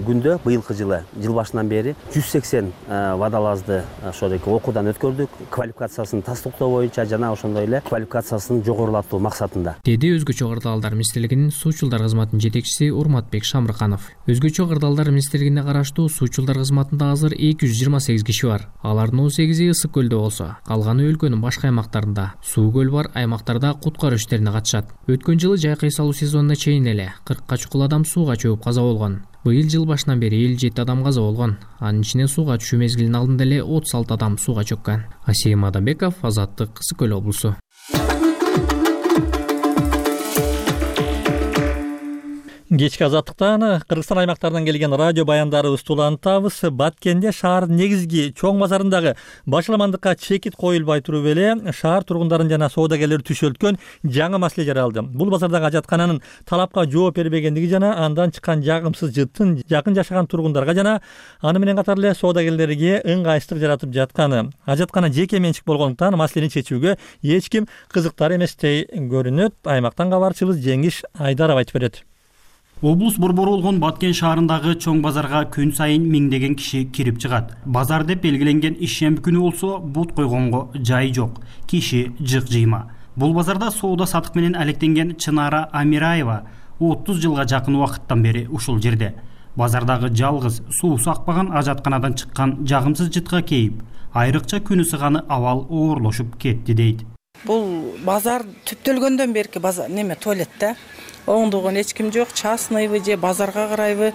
күндө быйылкы жылы жыл башынан бери жүз сексен водолазды ошол эки окуудан өткөрдүк. Квалификациясын тастыктоо боюнча жана ошондой эле квалификациясын жогорулатуу максатында. Деди өзгөчө кырдаалдар министрлигинин суучулдар кызматынын жетекчиси Урматбек Шамрыканов. Өзгөчө кырдаалдар министрлигине караштуу суучулдар кызматында азыр эки жүз жыйырма сегиз киши бар. Алардын он сегизи Ысык көлдө болсо, калганы өлкөнүн башка аймактарында суу көл бар аймактарда куткаруу иштерине катышат. Өткөн жылы жайкай салуу сезонуна чейин эле кыркка чукул адам сууга чөгүп каза болгон. Быйыл жыл башынан бери элүү жети адам каза болгон. Анын ичинен сууга түшүү мезгилинин алдында эле отуз алты адам сууга чөккөн. Асейим Адамбеков, Азаттык, Ысык көл облусу. Кечки азаттыктан Кыргызстан аймактарынан келген радио баяндарыбызды улантабыз. Баткенде шаар негизги чоң базарындагы башаламандыкка чекит коюлбай туруп эле шаар тургундарын жана соодагерлерди түшөлткөн жаңы маселе жаралды. Бул базардагы ажаткананын талапка жооп бербегендиги жана андан чыккан жагымсыз жыттын жакын жашаган тургундарга жана аны менен катар эле соодагерлерге ыңгайсыздык жаратып жатканы. Ажаткана жеке менчик болгондуктан маселени чечүүгө эч ким кызыктар эместей көрүнөт. Аймактан кабарчыбыз Жеңиш Айдаров айтып берет. Облус борбору болгон Баткен шаарындагы чоң базарга күн сайын миңдеген киши кирип чыгат. Базар деп белгиленген ишемби күнү болсо бут койгонго жай жок. Киши жык жыйма. Бул базарда соода сатык менен алектенген Чынара Амираева отуз жылга жакын убакыттан бери ушул жерде. Базардагы жалгыз суусу акпаган ажатканадан чыккан жагымсыз жытка кейип, айрыкча күн ысыганы абал оорлошуп кетти дейт. Бул базар түптөлгөндөн берки базар неме туалетте оңдогон эч ким жок, частныйбы же базарга карайбы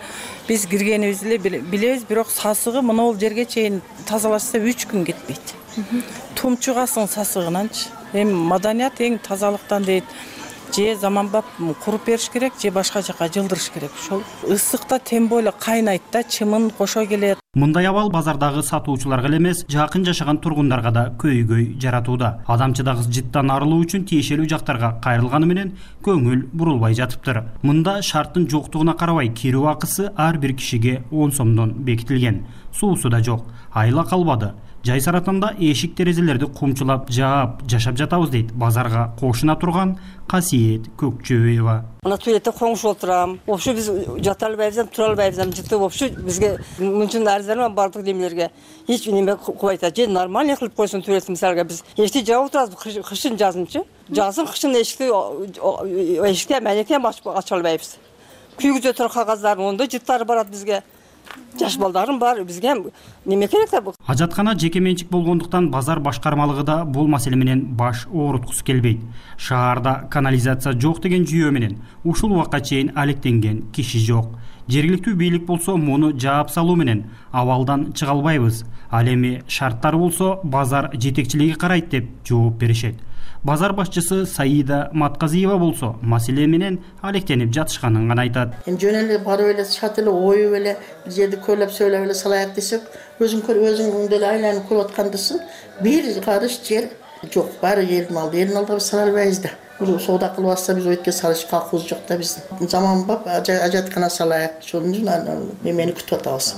биз киргенибиз эле билебиз, бирок сасыгы монол жерге чейин тазалашса үч күн кетпейт. Тумчугасың сасыгынанчы. Эми маданият эң тазалыктан дейт. Же заманбап куруп бериш керек, же башка жака жылдырыш керек. Ошол ысыкта тем более кайнайт да, чымын кошо келет. Мындай абал базардагы сатуучуларга эле эмес, жакын жашаган тургундарга да көйгөй жаратууда. Адамчыдагы жыттан арылуу үчүн тиешелүү жактарга кайрылганы менен көңүл бурулбай жатыптыр. Мында шарттын жоктугуна карабай кирүү акысы ар бир кишиге он сомдон бекитилген. Суусу да жок, айла калбады. Жай саратанда эшик терезелерди кумчулап жаап жашап жатабыз дейт базарга кошуна турган Касиет Көкчөбаева. Мына туалетте коңшу отурам. Вообще биз жата албайбыз, тура албайбыз, жыты вообще бизге мынчын арзан бардык демелерге. Эч неме кылбайт. Же нормально кылып койсун туалетти мисалга биз эшикти жаап отурабыз, кышын жазынчы. Жазын кышын эшикти эшикти менекен ача албайбыз. Күйгүзө тур кагаздардын ондой жыттары барат бизге. Жаш балдарым бар, бизге неме керек да бул? Ажаткана жеке менчик болгондуктан базар башкармалыгы да бул маселе менен баш ооруткусу келбейт. Шаарда канализация жок деген жүйө менен ушул убакка чейин алектенген киши жок. Жергиликтүү бийлик болсо муну жаап салуу менен абалдан чыга албайбыз. Ал эми шарттар болсо базар жетекчилиги карайт деп жооп беришет. Базар башчысы Саида Матказиева болсо маселе менен алектенип жатышканын гана айтат. Жөн эле барып эле чат эле оюп эле бир жерди көйлөп сөйлөп эле салайык десек, өзүң көр өзүң деле айланып көрүп аткандысың. Бир карыш жер жок, баары элдин алды. Элдин алдыга биз сала албайбыз да. Бул соода кылып атса биз өйткө салыш калкыбыз жок да биздин. Заманбап ажаткана салайык. Ошон үчүн немени күтүп атабыз.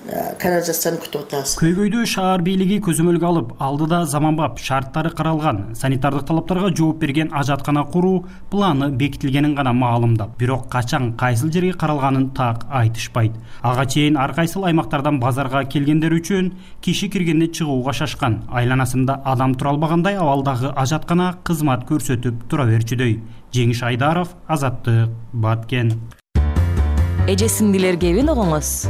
канализацияны күтүп атабыз. Көйгөйдү шаар бийлиги көзөмөлгө алып, алдыда заманбап шарттары каралган, санитардык талаптарга жооп берген ажаткана куруу планы бекитилгенин гана маалымдап, бирок качан кайсыл жерге каралганын так айтышпайт. Ага чейин ар кайсыл аймактардан базарга келгендер үчүн киши киргенде чыгууга шашкан, айланасында адам тура албагандай абалдагы ажаткана кызмат көрсөтүп тура берчүдөй. Жеңиш Айдаров, Азаттык, Баткен. Эже сиңдилер кебин огоңуз.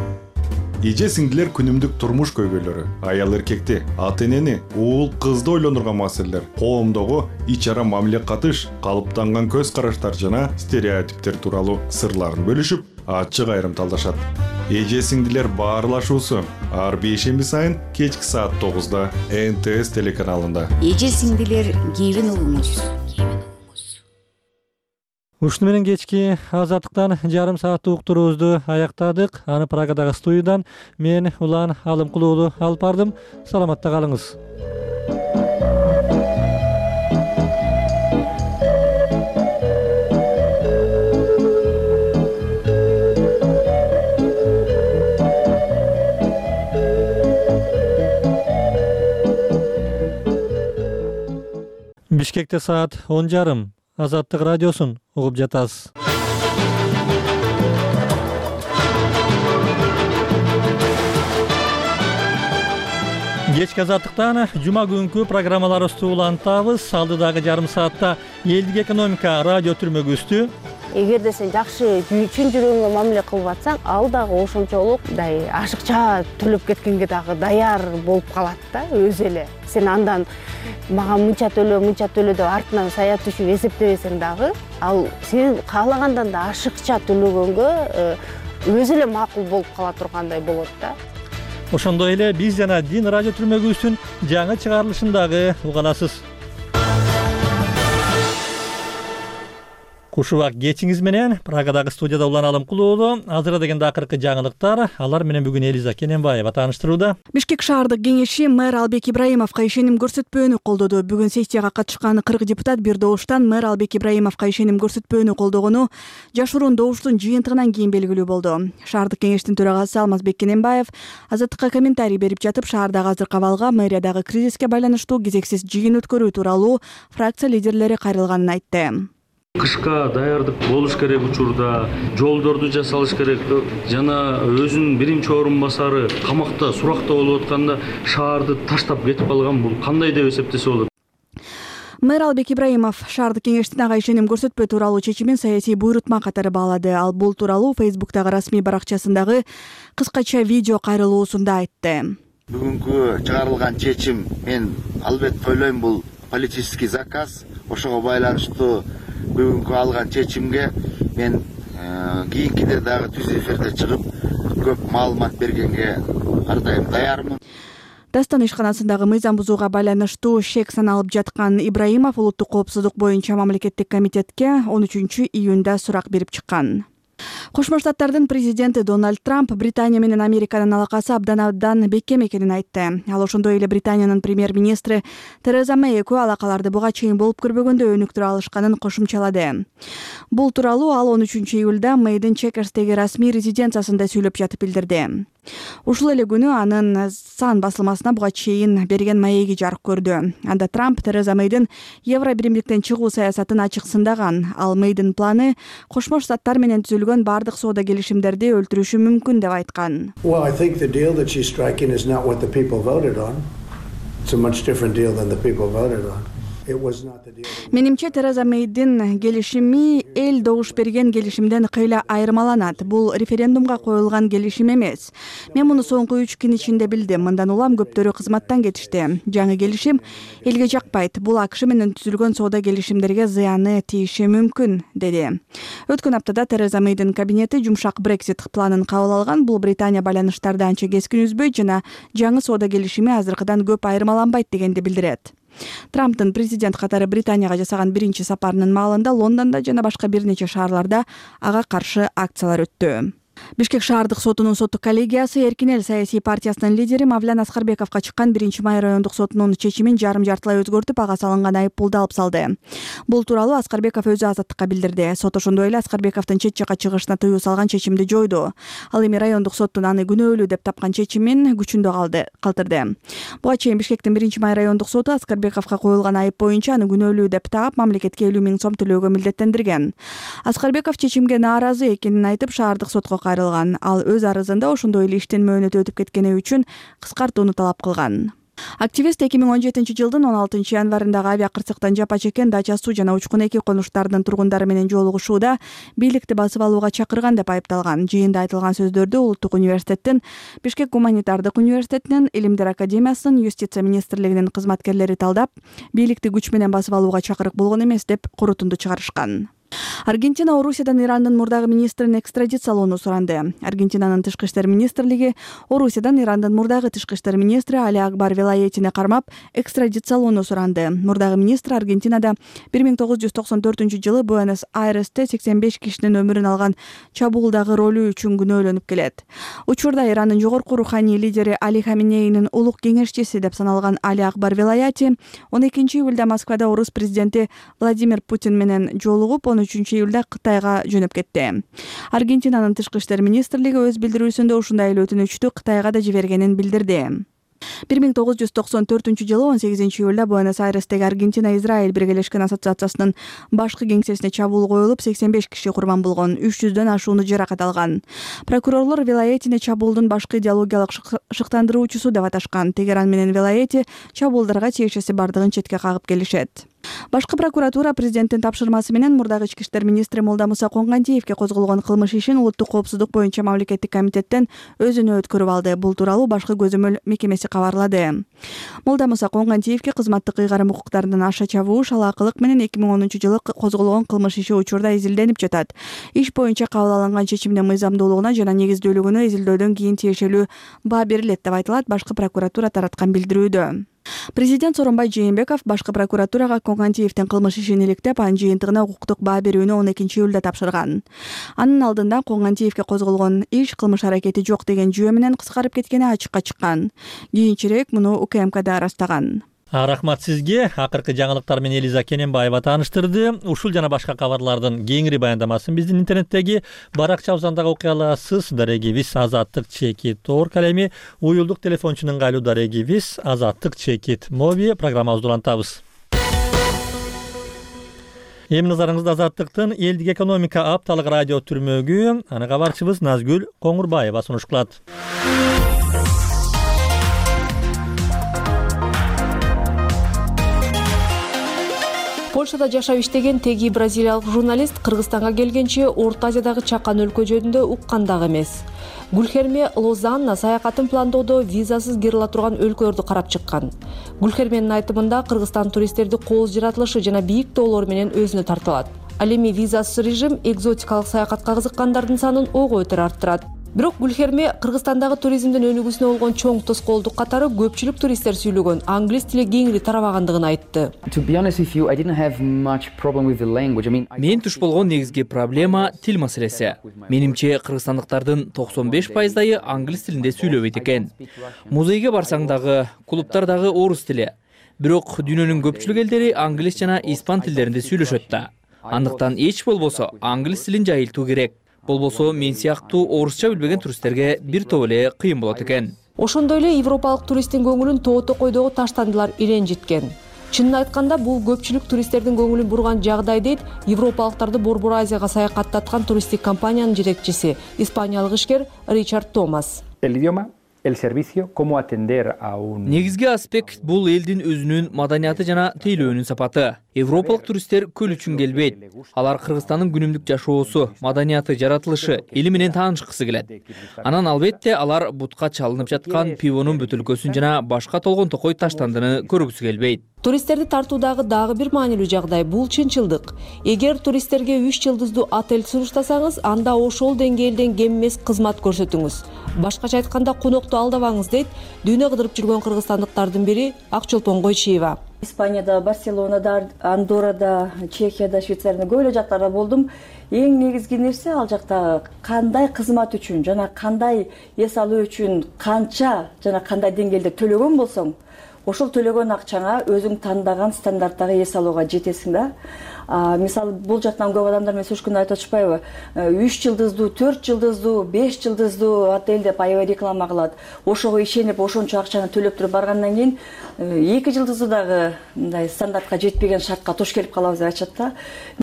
Эже сиңдилер күнүмдүк турмуш көйгөйлөрү, аял эркекти, ата энени, уул кызды ойлондурган маселелер, коомдогу ич ара мамиле катыш, калыптанган көз караштар жана стереотиптер тууралуу сырларын бөлүшүп, ачык айрым талдашат. Эже сиңдилер баарлашуусу ар бейшемби сайын кечки саат тогузда эн тэ эс телеканалында. Эже сиңдилер кебин угуңуз. Ушуну менен кечки Азаттыктан жарым сааттык уктуруубузду аяктадык. Аны Прагадагы студиядан мен Улан Алымкулуулу алып бардым. Саламатта калыңыз. Бишкекте саат он жарым. Азаттык радиосун угуп жатасыз. Кечки Азаттыктан жума күнкү программаларыбызды улантабыз. Алдыдагы жарым саатта элдик экономика радио түрмөгүбүздү. Эгерде сен жакшы чын жүрөгүңө мамиле кылып атсаң, ал дагы ошончолук дай ашыкча төлөп кеткенге дагы даяр болуп калат да, өзү эле. Сен андан мага мынча төлө, мынча төлө деп артынан саят үчүн эсептебесең дагы, ал сен каалагандан да ашыкча төлөгөнгө өзү эле макул болуп кала тургандай болот да. Ошондой эле биз жана Дин радио түрмөгүбүздүн жаңы чыгарылышын дагы уга аласыз. Кушубак кечиңиз менен Прагадагы студияда Улан Алымкулуулу. Азыр дегенде акыркы жаңылыктар, алар менен бүгүн Элиза Кененбаева тааныштырууда. Бишкек шаардык кеңеши мэр Албек Ибраимовго ишеним көрсөтпөөнү колдоду. Бүгүн сессияга катышкан кырк депутат бир добуштан мэр Албек Ибраимовго ишеним көрсөтпөөнү колдогону жашыруун добуштун жыйынтыгынан кийин белгилүү болду. Шаардык кеңештин төрагасы Алмазбек Кененбаев Азаттыкка комментарий берип жатып, шаардагы азыркы абалга мэриядагы кризиске байланыштуу кезексиз жыйын өткөрүү тууралуу фракция лидерлери кайрылганын айтты. Кышка даярдык болуш керек учурда, жолдорду жасалыш керек жана өзүнүн биринчи орун басары камакта, суракта болуп атканда шаарды таштап кетип калган, бул кандай деп эсептесе болот? Мэр Албек Ибраимов шаардык кеңештин ага ишеним көрсөтпөө тууралуу чечимин саясий буйрутма катары баалады. Ал бул тууралуу Фейсбуктагы расмий баракчасындагы кыскача видео кайрылуусунда айтты. Бүгүнкү чыгарылган чечим мен албетте ойлойм бул политический заказ. Ошого байланыштуу бүгүнкү алган чечимге мен кийинкиде дагы түз эфирде чыгып көп маалымат бергенге ар дайым даярмын. Дастан ишканасындагы мыйзам бузууга байланыштуу шек саналып жаткан Ибраимов улуттук коопсуздук боюнча мамлекеттик комитетке он үчүнчү июнда сурак берип чыккан. Кошмо Штаттардын президенти Дональд Трамп Британия менен Американын алакасы абдан абдан бекем экенин айтты. Ал ошондой эле Британиянын премьер-министри Тереза Мэй экөө алакаларды буга чейин болуп көрбөгөндө өнүктүрө алышканын кошумчалады. Бул тууралуу ал он үчүнчү июлда Мэйдин Чекерстеги расмий резиденциясында сүйлөп жатып билдирди. Ушул эле күнү анын Сан басылмасына буга чейин берген маеги жарык көрдү. Анда Трамп Тереза Мэйдин Евро биримдиктен чыгуу саясатын ачык сындаган. Ал Мэйдин планы Кошмо Штаттар менен түзүлгөн бардык соода келишимдерди өлтүрүшү мүмкүн деп айткан. Well, I think the deal that she's striking is not what the people voted on. It's a much different deal than the people voted on. It was not the deal. Менимче Тереза Мэйдин келишими эл добуш берген келишимден кыйла айырмаланат. Бул референдумга коюлган келишим эмес. Мен муну соңку үч күн ичинде билдим. Мындан улам көптөрү кызматтан кетишти. Жаңы келишим элге жакпайт. Бул АКШ менен түзүлгөн соода келишимдерге зыяны тийиши мүмкүн, деди. Өткөн аптада Тереза Мэйдин кабинети жумшак Брексит планын кабыл алган. Бул Британия байланыштарды анча кескин үзбөйт жана жаңы соода келишими азыркыдан көп айырмаланбайт дегенди билдирет. Трамптын президент катары Британияга жасаган биринчи сапарынын маалында Лондондо жана башка бир нече шаарларда ага каршы акциялар өттү. Бишкек шаардык сотунун соттук коллегиясы Эркин эл саясий партиясынын лидери Мавлян Аскарбековго чыккан биринчи май райондук сотунун чечимин жарым жартылай өзгөртүп, ага салынган айыппулду алып салды. Бул тууралуу Аскарбеков өзү азаттыкка билдирди. Сот ошондой эле Аскарбековдун чет жакка чыгышына тыюу салган чечимди жойду. Ал эми райондук соттун аны күнөөлүү деп тапкан чечимин күчүндө калды калтырды. Буга чейин Бишкектин биринчи май райондук соту Аскарбековго коюлган айып боюнча аны күнөөлүү деп таап, мамлекетке элүү миң сом төлөөгө милдеттендирген. Аскарбеков чечимге нааразы экенин айтып, шаардык сотко кайрылган. Ал өз арызында ошондой эле иштин мөөнөтү өтүп кеткени үчүн кыскартууну талап кылган. Активист эки миң он жетинчи жылдын он алтынчы январындагы авиакырсыктан жапа чеккен Дача суу жана Учкун эки конуштарынын тургундары менен жолугушууда бийликти басып алууга чакырган деп айыпталган. Жыйында айтылган сөздөрдү Улуттук университеттин, Бишкек гуманитардык университетинин, Илимдер академиясынын, Юстиция министрлигинин кызматкерлери талдап, бийликти күч менен басып алууга чакырык болгон эмес деп корутунду чыгарышкан. Аргентина Орусиядан Ирандын мурдагы министрин экстрадициялоону суранды. Аргентинанын тышкы иштер министрлиги Орусиядан Ирандын мурдагы тышкы иштер министри Али Акбар Велаетине кармап экстрадициялоону суранды. Мурдагы министр Аргентинада бир миң тогуз жүз токсон төртүнчү жылы Буэнос-Айресте сексен беш кишинин өмүрүн алган чабуулдагы ролу үчүн күнөөлөнүп келет. Учурда Ирандын жогорку руханий лидери Али Хаминейнин улук кеңешчиси деп саналган Али Акбар Велаети он экинчи июлда Москвада орус президенти Владимир Путин менен жолугуп, он үчүнчү июлда Кытайга жөнөп кетти. Аргентинанын тышкы иштер министрлиги өз билдирүүсүндө ушундай эле өтүнүчтү Кытайга да жибергенин билдирди. бир миң тогуз жүз токсон төртүнчү жылы он сегизинчи июлда Буэнос-Айрестеги Аргентина-Израиль биргелешкен ассоциациясынын башкы кеңсесине чабуул коюлуп, сексен беш киши курман болгон, үч жүздөн ашууну жаракат алган. Прокурорлор Велаетине чабуулдун башкы идеологиялык шыктандыруучусу деп аташкан. Тегеран менен Велаети чабуулдарга тиешеси бардыгын четке кагып келишет. Башкы прокуратура президенттин тапшырмасы менен мурдагы ички иштер министри Молдамуса Конгантиевке козголгон кылмыш ишин улуттук коопсуздук боюнча мамлекеттик комитеттен өзүнө өткөрүп алды. Бул тууралуу башкы көзөмөл мекемеси кабарлады. Молдамуса Конгантиевке кызматтык ыйгарым укуктарынан аша чабуу, шалаакылык менен эки миң онунчу жылы козголгон кылмыш иши учурда изилденип жатат. Иш боюнча кабыл алынган чечимдин мыйзамдуулугуна жана негиздүүлүгүнө изилдөөдөн кийин тиешелүү баа берилет деп айтылат башкы прокуратура тараткан билдирүүдө. Президент Сооронбай Жээнбеков башкы прокуратурага Конгантиевдин кылмыш ишин иликтеп, анын жыйынтыгына укуктук баа берүүнү он экинчи июлда тапшырган. Анын алдында Конгантиевке козголгон иш кылмыш аракети жок деген жүйө менен кыскарып кеткени ачыкка чыккан. Кийинчерээк муну У К М К да ырастаган. Рахмат сизге. Акыркы жаңылыктар менен Элиза Кененбаева тааныштырды. Ушул жана башка кабарлардын кеңири баяндамасын биздин интернеттеги баракчабыздан дагы окуй аласыз. Дарегибиз азаттык чекит орг, ал эми уюлдук телефончунун кайлуу дарегибиз азаттык чекит моби программабызды улантабыз. Эми назарыңызда азаттыктын элдик экономика апталык радио түрмөгү, аны кабарчыбыз Назгүл Коңурбаева сунуш кылат. Польшада жашап иштеген теги бразилиялык журналист Кыргызстанга келгенче Орто Азиядагы чакан өлкө жөнүндө уккандагы эмес. Гүлхерме Лозанна саякатын пландоодо визасыз кире ала турган өлкөлөрдү карап чыккан. Гүлхерменин айтымында Кыргызстан туристтерди кооз жаратылышы жана бийик тоолор менен өзүнө тартып алат. Ал эми визасыз режим экзотикалык саякатка кызыккандардын санын ого өтөр арттырат. Бирок Гүлхерме Кыргызстандагы туризмдин өнүгүүсүнө болгон чоң тоскоолдук катары көпчүлүк туристтер сүйлөгөн англис тили кеңири тарабагандыгын айтты. Мен туш болгон негизги проблема тил маселеси. Менимче кыргызстандыктардын токсон беш пайыздайы англис тилинде сүйлөбөйт экен. Музейге барсаң дагы, клубтардагы орус тили. Бирок дүйнөнүн көпчүлүк элдери англис жана испан тилдеринде сүйлөшөт да. Андыктан эч болбосо англис тилин жайылтуу керек. Болбосо мен сыяктуу орусча билбеген туристтерге бир топ эле кыйын болот экен. Ошондой эле европалык туристтин көңүлүн тоо-токойдогу таштандылар иренжиткен. Чынын айтканда бул көпчүлүк туристтердин көңүлүн бурган жагдай дейт европалыктарды Борбор Азияга саякаттаткан туристтик компаниянын жетекчиси, испаниялык ишкер Ричард Томас. Негизги аспект бул элдин өзүнүн маданияты жана тейлөөнүн сапаты. Европалык туристтер көл үчүн келбейт. Алар Кыргызстандын күнүмдүк жашоосу, маданияты, жаратылышы, эли менен таанышкысы келет. Анан албетте алар бутка чалынып жаткан пивонун бөтөлкөсүн жана башка толгон токой таштандыны көргүсү келбейт. Туристтерди тартуудагы дагы бир маанилүү жагдай бул чынчылдык. Эгер туристтерге үч жылдыздуу отель сунуштасаңыз, анда ошол деңгээлден кем эмес кызмат көрсөтүңүз. Башкача айтканда, конокту алдабаңыз дейт дүйнө кыдырып жүргөн кыргызстандыктардын бири Акчолпон Койчиева. Испанияда, Барселонада, Андоррада, Чехияда, Швейцарияда көп эле жактарда болдум. Эң негизги нерсе ал жакта кандай кызмат үчүн жана кандай эс алуу үчүн канча жана кандай деңгээлде төлөгөн болсоң, ошол төлөгөн акчаңа өзүң тандаган стандарттагы эс алууга жетесиң да. А, мисалы бул жактан көп адамдар менен сүрүшкөндө айтып атышпайбы? үч жылдыздуу, төрт жылдыздуу, беш жылдыздуу отель деп аябай реклама кылат. Ошого ишенип, ошончо акчаны төлөп туруп баргандан кийин эки жылдыздуу дагы мындай стандартка жетпеген шартка туш келип калабыз деп айтышат да.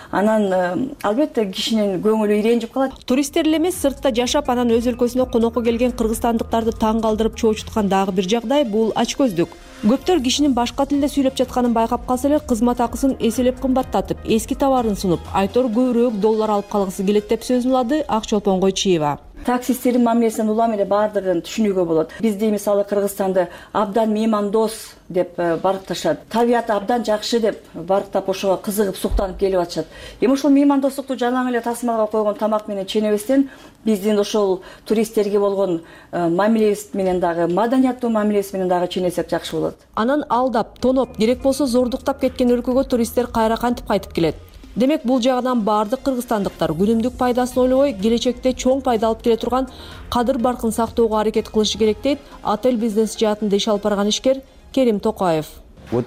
Анан албетте кишинин көңүлү иренжип калат. Туристтер эле эмес, сыртта жашап, анан өз өлкөсүнө конокко келген кыргызстандыктарды таң калтырып чоочуткан дагы бир жагдай бул ачкөздүк. Көптөр кишинин башка тилде сүйлөп жатканын байкап калса эле кызмат акысын эселеп кымбаттатып, эски товарын сунуп, айтор көбүрөөк доллар алып калгысы келет деп сөзүн улады Ак Чолпон Койчиева. Таксисттердин мамилесин улам эле баардыгын түшүнүүгө болот. Бизде мисалы Кыргызстанды абдан меймандос деп баркташат. Табияты абдан жакшы деп барктап ошого кызыгып суктанып келип атышат. Эми ошол меймандостукту жалаң эле тасмалга койгон тамак менен ченебестен биздин ошол туристтерге болгон мамилебиз менен дагы, маданияттуу мамилебиз менен дагы ченесек жакшы болот. Анан алдап, тоноп, керек болсо зордуктап кеткен өлкөгө туристтер кайра кантип кайтып келет? Демек бул жагынан баардык кыргызстандыктар күнүмдүк пайдасын ойлобой, келечекте чоң пайда алып келе турган кадыр баркын сактоого аракет кылышы керек дейт отель бизнес жаатында иш алып барган ишкер Керим Токаев. Вот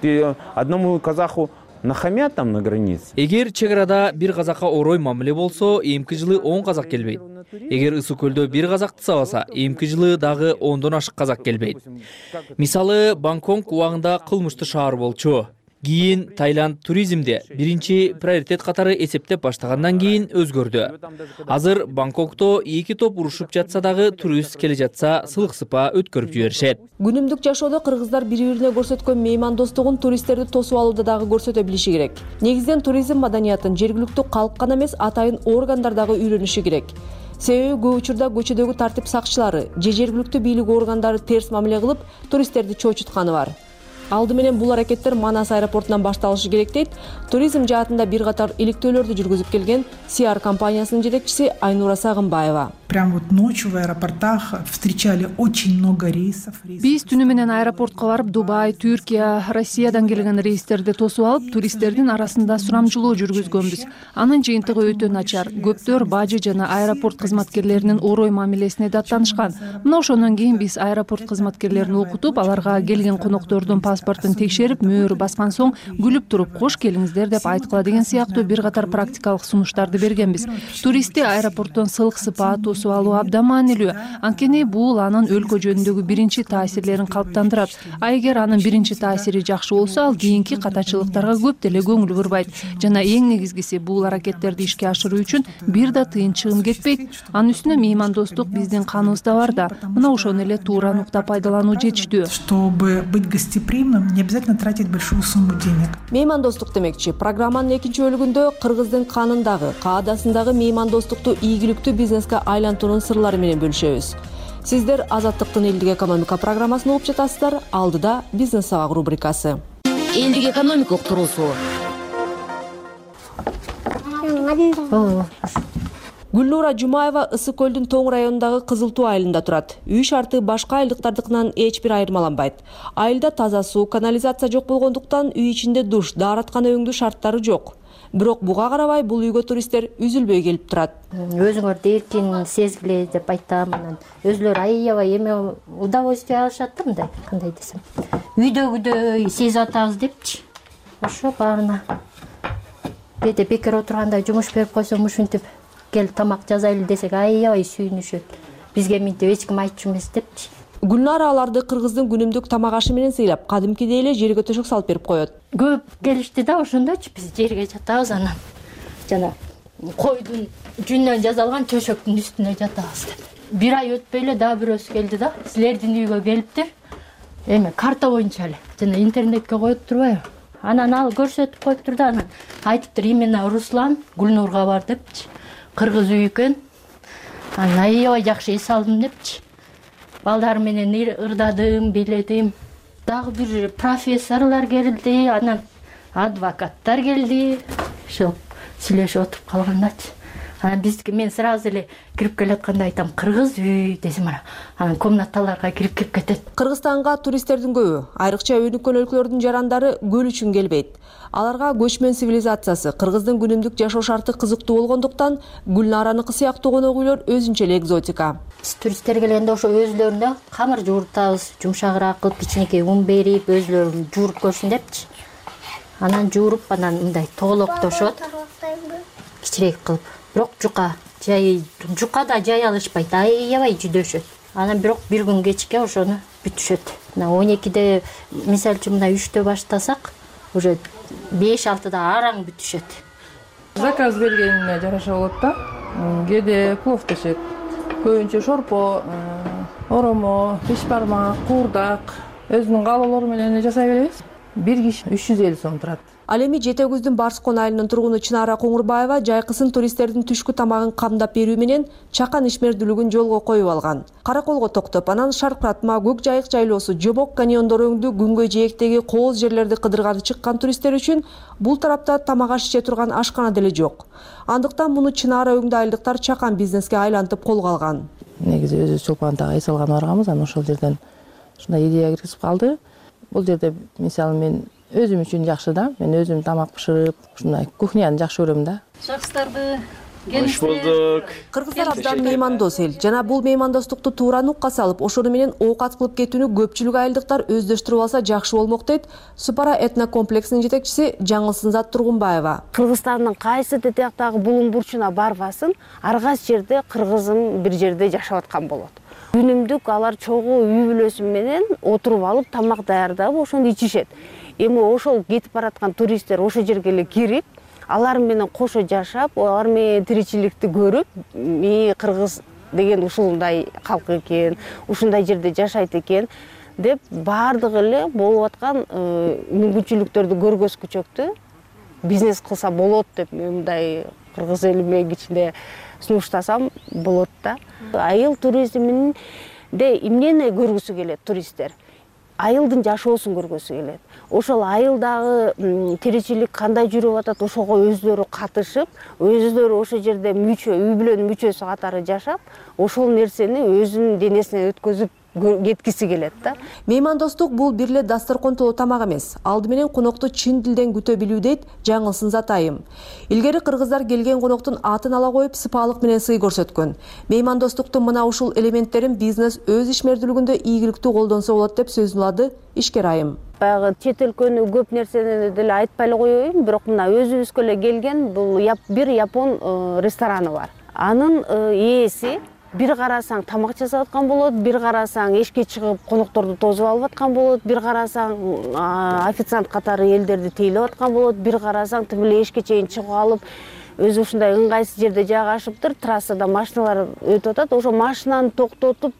одному казаху нахамят там на границе. Эгер чек арада бир казакка орой мамиле болсо, эмки жылы он казак келбейт. Эгер ысык көлдө бир казакты сабаса, эмки жылы дагы ондон ашык казак келбейт. Мисалы, Бангкок убагында кылмыштуу шаар болчу. Кийин Таиланд туризмде биринчи приоритет катары эсептеп баштагандан кийин өзгөрдү. Азыр Бангкокто эки топ урушуп жатса дагы турист келе жатса сылык сыпа өткөрүп жиберишет. Күнүмдүк жашоодо кыргыздар бири-бирине көрсөткөн меймандостугун туристтерди тосуп алууда дагы көрсөтө билиши керек. Негизинен туризм маданиятын жергиликтүү калк гана эмес, атайын органдар дагы үйрөнүшү керек. Себеби көп учурда көчөдөгү тартип сакчылары же жергиликтүү бийлик органдары терс мамиле кылып туристтерди чоочутканы бар. Алды менен бул аракеттер Манас аэропортунан башталышы керек дейт туризм жаатында бир катар иликтөөлөрдү жүргүзүп келген Си Ар компаниясынын жетекчиси Айнура Сагынбаева. Прям вот ночью в аэропортах встречали очень много рейсов. Биз түнү менен аэропортко барып Дубай, Түркия, Россиядан келген рейстерди тосуп алып, туристтердин арасында сурамжылоо жүргүзгөнбүз. Анын жыйынтыгы өтө начар. Көптөр бажы жана аэропорт кызматкерлеринин орой мамилесине даттанышкан. Мына ошондон кийин биз аэропорт кызматкерлерин окутуп, аларга келген коноктордун паспортун текшерип, мөөр баскан соң күлүп туруп кош келиңиздер деп айткыла деген сыяктуу бир катар практикалык сунуштарды бергенбиз. Туристти аэропорттон сылык сыпа тосуп алуу абдан маанилүү. Анткени бул анын өлкө жөнүндөгү биринчи таасирлерин калыптандырат. А эгер анын биринчи таасири жакшы болсо, ал кийинки катачылыктарга көп деле көңүл бурбайт. Жана эң негизгиси бул аракеттерди ишке ашыруу үчүн бир да тыйын чыгым кетпейт. Анын үстүнө меймандостук биздин каныбызда бар да. Мына ошону эле туура нукта пайдалануу жетиштүү. Чтобы быть гостеприимным, не обязательно тратить большую сумму денег. Меймандостук демекчи, программанын экинчи бөлүгүндө кыргыздын канындагы, каадасындагы меймандостукту ийгиликтүү бизнеске айлантуунун сырлары менен бөлүшөбүз. Сиздер Азаттыктын элдик экономика программасын угуп жатасыздар. Алдыда бизнес сабак рубрикасы. Элдик экономика уктуруусу. Гүлнура Жумаева Ысык көлдүн Тоң районундагы Кызыл Туу айылында турат. Үй шарты башка айылдыктардыкынан эч бир айырмаланбайт. Айылда таза суу, канализация жок болгондуктан үй ичинде душ, даараткана өңдүү шарттары жок. Бирок буга карабай бул үйгө туристтер үзүлбөй келип турат. Өзүңөрдү эркин сезгиле деп айтам. Анан өзүлөр аябай эме удовольствие алышат да, мындай, кандай десем. Үйдөгүдөй сезип атабыз депчи. Ошо баарына бете бекер отурганда жумуш берип койсом ушинтип кел тамак жазайлы десек аябай сүйүнүшөт. Бизге мынтип эч ким айтчу эмес депчи. Гүлнара аларды кыргыздын күнүмдүк тамак ашы менен сыйлап, кадимкидей эле жерге төшөк салып берип коет. Көп келишти да, ошондочу биз жерге жатабыз, анан жана койдун жүнүнөн жасалган төшөктүн үстүнө жатабыз деп. Бир ай өтпөй эле дагы бирөөсү келди да, силердин үйгө келиптир. Эме карта боюнча эле жана интернетке коюп турбайбы? Анан ал көрсөтүп коюптур да, анан айтыптыр именно Руслан Гүлнурга бар депчи. Кыргыз үй экен. Анан аябай жакшы эс алдым депчи. Балдар менен ырдадым, биледим. Дагы бир профессорлор келди, анан адвокаттар келди. Ошо сүйлөшүп отуруп калгандачы. анан биз мен сразу эле кирип келатканда айтам кыргыз үй десем анан комнаталарга кирип кирип кетет. Кыргызстанга туристтердин көбү, айрыкча өнүккөн өлкөлөрдүн жарандары көл үчүн келбейт. Аларга көчмөн цивилизациясы, кыргыздын күнүмдүк жашоо шарты кызыктуу болгондуктан Гүлнараныкы сыяктуу конок үйлөр өзүнчө эле экзотика. Биз туристтер келгенде ошо өзлөрүнө камыр жууртабыз, жумшагыраак кылып кичинекей ун берип, өзлөрүн жууруп көрсүн депчи. Анан жууруп, анан мындай тоголоктошот. Кичирээк кылып. Бирок жука, жай жука да жай алышпайт, аябай жүдөшөт. Анан бирок бир күн кечке ошону бүтүшөт. Мына он экиде, мисалы үчүн мына үчтө баштасак, уже беш алтыда араң бүтүшөт. Заказ бергенине жараша болот да. Кээде плов пишет. Көбүнчө шорпо, оромо, бешбармак, куурдак өзүнүн каалоолору менен жасай беребиз. Бир киши үч жүз элүү сом турат. Ал эми Жете Көздүн Барскон айылынын тургуну Чынара Коңурбаева жайкысын туристтердин түшкү тамагын камдап берүү менен чакан ишмердүүлүгүн жолго коюп алган. Караколго токтоп, анан Шаркыратма, Көк Жайык жайлоосу, Жобок каньондору өңдүү күнгөй жээктеги кооз жерлерди кыдырганы чыккан туристтер үчүн бул тарапта тамак аш иче турган ашкана деле жок. Андыктан муну Чынара өңдүү айылдыктар чакан бизнеске айлантып колго алган. Негизи өзүбүз Чолпонтага ай салган барганбыз, анан ошол жерден ушундай идея киргизип калды. Бул жерде мисалы мен өзүм үчүн жакшы да. Мен өзүм тамак бышырып, ушундай кухняны жакшы көрөм да. Жакшыларды Хош болдук. Кыргыздар абдан меймандос эл. Жана бул меймандостукту туура нукка салып, ошону менен оокат кылып кетүүнү көпчүлүк айылдыктар өздөштүрүп алса жакшы болмок дейт Супара этнокомплексинин жетекчиси Жаңылсынзат Тургунбаева. Кыргызстандын кайсы тетияктагы булуң бурчуна барбасын, ар кайсы жерде кыргызым бир жерде жашап аткан болот. Күнүмдүк алар чогуу үй бүлөсү менен отуруп алып тамак даярдап ошону ичишет. Эми ошол кетип бараткан туристтер ошол жерге эле кирип, алар менен кошо жашап, алар менен тиричиликти көрүп, "Ми кыргыз деген ушундай калк экен, ушундай жерде жашайт экен" деп баардыгы эле болуп аткан мүмкүнчүлүктөрдү көргөзгүчөктү бизнес кылса болот деп мындай кыргыз элиме кичине сунуштасам болот да. Айыл туризминде эмнени көргүсү келет туристтер? Айылдын жашоосун көргөсү келет. Ошол айылдагы тиричилик кандай жүрүп атат, ошого өздөрү катышып, өздөрү ошол жерде мүчө, үй бүлөнүн мүчөсү катары жашап, ошол нерсени өзүнүн денесине өткөзүп кеткиси келет да. Меймандостук бул бир эле дасторкон толо тамак эмес. Алды менен конокту чын дилден күтө билүү дейт Жаңылсынзат айым. Илгери кыргыздар келген коноктун атын ала коюп, сыпаалык менен сый көрсөткөн. Меймандостуктун мына ушул элементтерин бизнес өз ишмердүүлүгүндө ийгиликтүү колдонсо болот деп сөзүн улады ишкер айым. Баягы чет өлкөнү көп нерсени деле айтпай эле коеюн, бирок мына өзүбүзгө эле келген бул бир япон рестораны бар. Анын ээси бир карасаң тамак жасап аткан болот, бир карасаң эшикке чыгып конокторду тосуп алып аткан болот, бир карасаң официант катары элдерди тейлеп аткан болот, бир карасаң тим эле эшикке чейин чыгып алып, өзү ушундай ыңгайсыз жерде жайгашыптыр, трассада машиналар өтүп атат, ошо машинаны токтотуп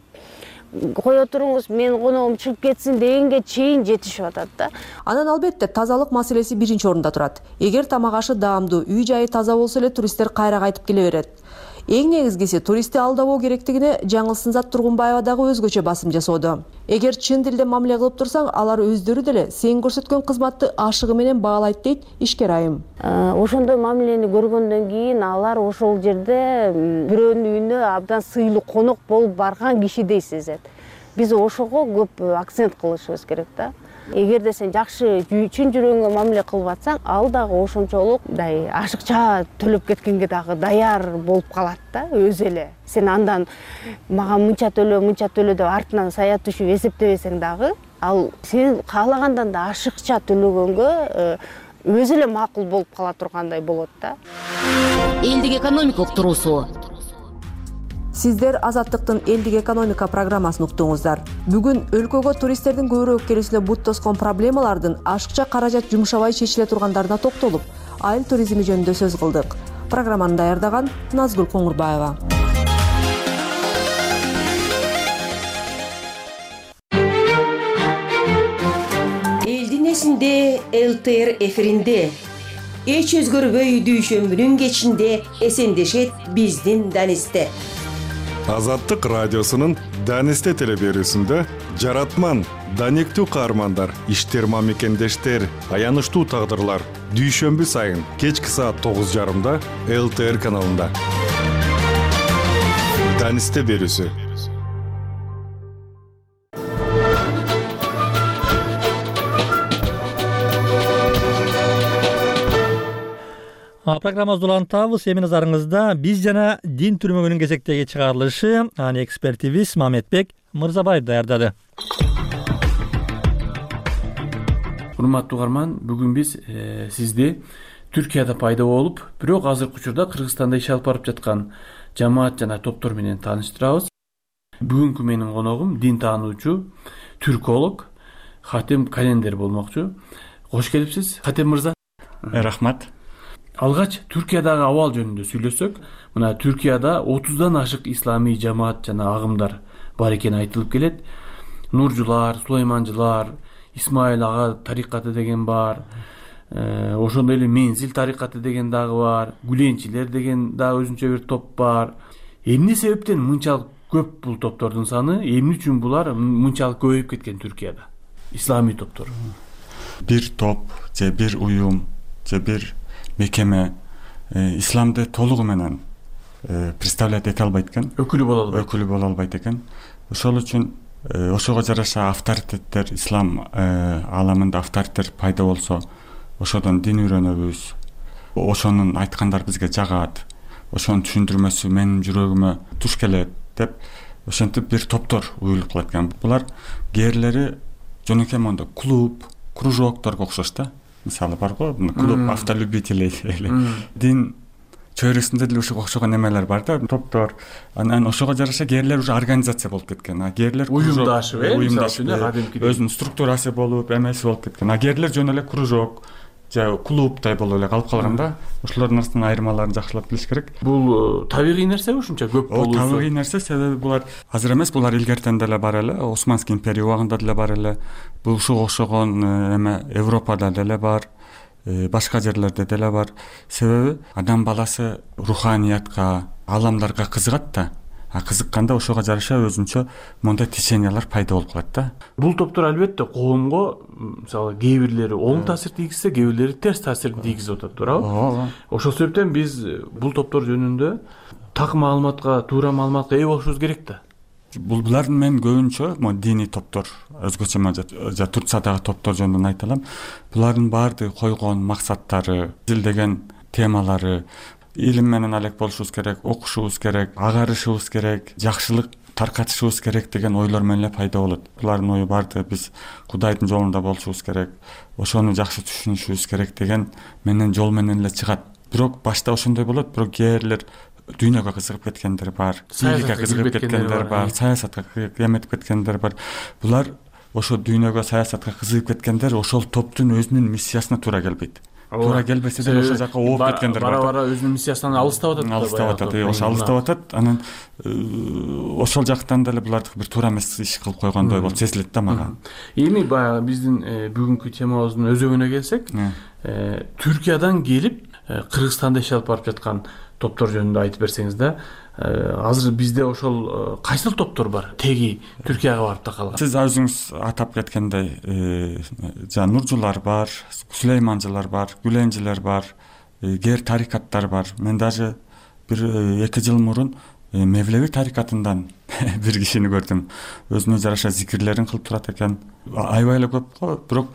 кое туруңуз, мен коногум чыгып кетсин дегенге чейин жетишип атат да. Анан албетте тазалык маселеси биринчи орунда турат. Эгер тамак ашы даамдуу, үй жайы таза болсо эле туристтер кайра кайтып келе берет. Эң негизгиси туристти алдабоо керектигине Жаңылсынзат Тургунбаева дагы өзгөчө басым жасоодо. Эгер чын дилде мамиле кылып турсаң, алар өздөрү деле сен көрсөткөн кызматты ашыгы менен баалайт дейт ишкер айым. Ошондой мамилени көргөндөн кийин алар ошол жерде бирөөнүн үйүнө абдан сыйлуу конок болуп барган кишидей сезет. Биз ошого көп акцент кылышыбыз керек да. Эгерде сен жакшы чын жүрөгүңө мамиле кылып атсаң, ал дагы ошончолук мындай ашыкча төлөп кеткенге дагы даяр болуп калат да, өзү эле. Сен андан мага мынча төлө, мынча төлө деп артынан саят түшүп эсептебесең дагы, ал сен каалагандан да ашыкча төлөгөнгө өзү эле макул болуп кала тургандай болот да. Элдик экономика уктуруусу. Сиздер Азаттыктын элдик экономика программасын уктуңуздар. Бүгүн өлкөгө туристтердин көбүрөөк келүүсүнө бут тоскон проблемалардын ашыкча каражат жумшабай чечиле тургандарына токтолуп, айыл туризми жөнүндө сөз кылдык. Программаны даярдаган Назгүл Коңурбаева. Элдин эсинде эл тэ эр эфиринде эч өзгөрбөй дүйшөмбүнүн кечинде эсендешет биздин Данисте. Азаттык радиосунун Данисте телеберүүсүндө жаратман, даниктүү каармандар, иштерма мекендештер, аянычтуу тагдырлар дүйшөмбү сайын кечки саат тогуз жарымда эл тэ эр каналында. Данисте берүүсү. Программабызды улантабыз. Эми назарыңызда биз жана дин түрмөгүнүн кезектеги чыгарылышы. Аны экспертибиз Мамедбек Мырзабаев даярдады. Урматтуу угарман, бүгүн биз э, сизди Түркияда пайда болуп, бирок азыркы учурда Кыргызстанда иш алып барып жаткан жамаат жана топтор менен тааныштырабыз. Бүгүнкү менин коногум дин таануучу, түрколог Хатем Календер болмокчу. Кош келипсиз, Хатем мырза. Рахмат. Алгач Түркиядагы абал жөнүндө сүйлөсөк, мына Түркияда отуздан ашык исламий жамаат жана агымдар бар экени айтылып келет. Нуржулар, Сулайманжылар, Исмаил ага тарикаты деген бар. Э, ошондой эле Мензил тарикаты деген дагы бар. Гүленчилер деген дагы өзүнчө бир топ бар. Эмне себептен мынчалык көп бул топтордун саны? Эмне үчүн булар мынчалык көбөйүп кеткен Түркияда? Исламий топтор. Бир топ же бир уюм же бир мекеме э, исламды толугу менен э, представлять эте албайт экен. Өкүлү боло албайт. Өкүлү боло албайт экен. Ошол үчүн э, ошого жараша авторитеттер, ислам э, ааламында авторитет пайда болсо, ошодон дин үйрөнөбүз. Ошонун айткандары бизге жагат. Ошонун түшүндүрмөсү менин жүрөгүмө туш келет деп ошентип бир топтор уюлуп калат экен. Булар кээрлери жөнөкөй мондо клуб, кружокторго окшош да. Мисалы бар го, клуб автолюбителей эле. Дин чөйрөсүндө деле ушуга окшогон эмелер бар да, топтор. Анан ошого жараша кээрлер уже организация болуп кеткен. А кээрлер уюмдашып, э, уюмдашып, өзүнүн структурасы болуп, эмеси болуп кеткен. А кээрлер жөн эле кружок же клубдай болуп эле калып калган да. Ошолордун арасындагы айырмаларын жакшылап билиш керек. Бул табигый нерсеби ушунча көп болуусу? Табигый нерсе, себеби булар азыр эмес, булар илгертен деле бар эле, Османский империя убагында деле бар эле. Бул ушуга окшогон эме Европада деле бар, башка жерлерде деле бар. Себеби адам баласы руханиятка, аламдарга кызыгат да. А кызыкканда ошого жараша өзүнчө мондай течениялар пайда болуп калат да. Бул топтор албетте коомго, мисалы, кээ бирлери оң таасир тийгизсе, кээ бирлери терс таасирин тийгизип атат, туурабы? Ооба. Ошол себептен биз бул топтор жөнүндө так маалыматка, туура маалыматка ээ болушубуз керек да. Булар мен көбүнчө мо диний топтор, өзгөчө жа Турциядагы топтор жөнүндө айта алам. Булардын баардыгы койгон максаттары, изилдеген темалары, илим менен алек болушубуз керек, окушубуз керек, агарышыбыз керек, жакшылык таркатышыбыз керек деген ойлор менен эле пайда болот. Булардын ою баардыгы биз Кудайдын жолунда болушубуз керек, ошону жакшы түшүнүшүбүз керек деген менен жол менен эле чыгат. Бирок башта ошондой болот, бирок кээрлер дүйнөгө кызыгып кеткендер бар, бийликке кызыгып кеткендер бар, саясатка эметип кеткендер бар. Булар ошо дүйнөгө, саясатка кызыгып кеткендер ошол топтун өзүнүн миссиясына туура келбейт. Туура келбесе деле ошол жака ооп кеткендер бар. Бара-бара өзүнүн миссиясынан алыстап атат. Алыстап атат, ошо алыстап атат. Анан ошол жактан деле булардыкы бир туура эмес иш кылып койгондой болуп сезилет да мага. Эми баягы биздин бүгүнкү темабыздын өзөгүнө келсек, Түркиядан келип Кыргызстанда иш алып барып жаткан топтор жөнүндө айтып берсеңиз да. Азыр бизде ошол кайсыл топтор бар? Теги Түркияга барып такалган. Сиз өзүңүз атап кеткендей, жана Нуржулар бар, Сулейманжылар бар, Гүленчилер бар, кээ тарикаттар бар. Мен даже бир эки жыл мурун Мевлеви тарикатынан бир кишини көрдүм. Өзүнө жараша зикирлерин кылып турат экен. Аябай эле көп го, бирок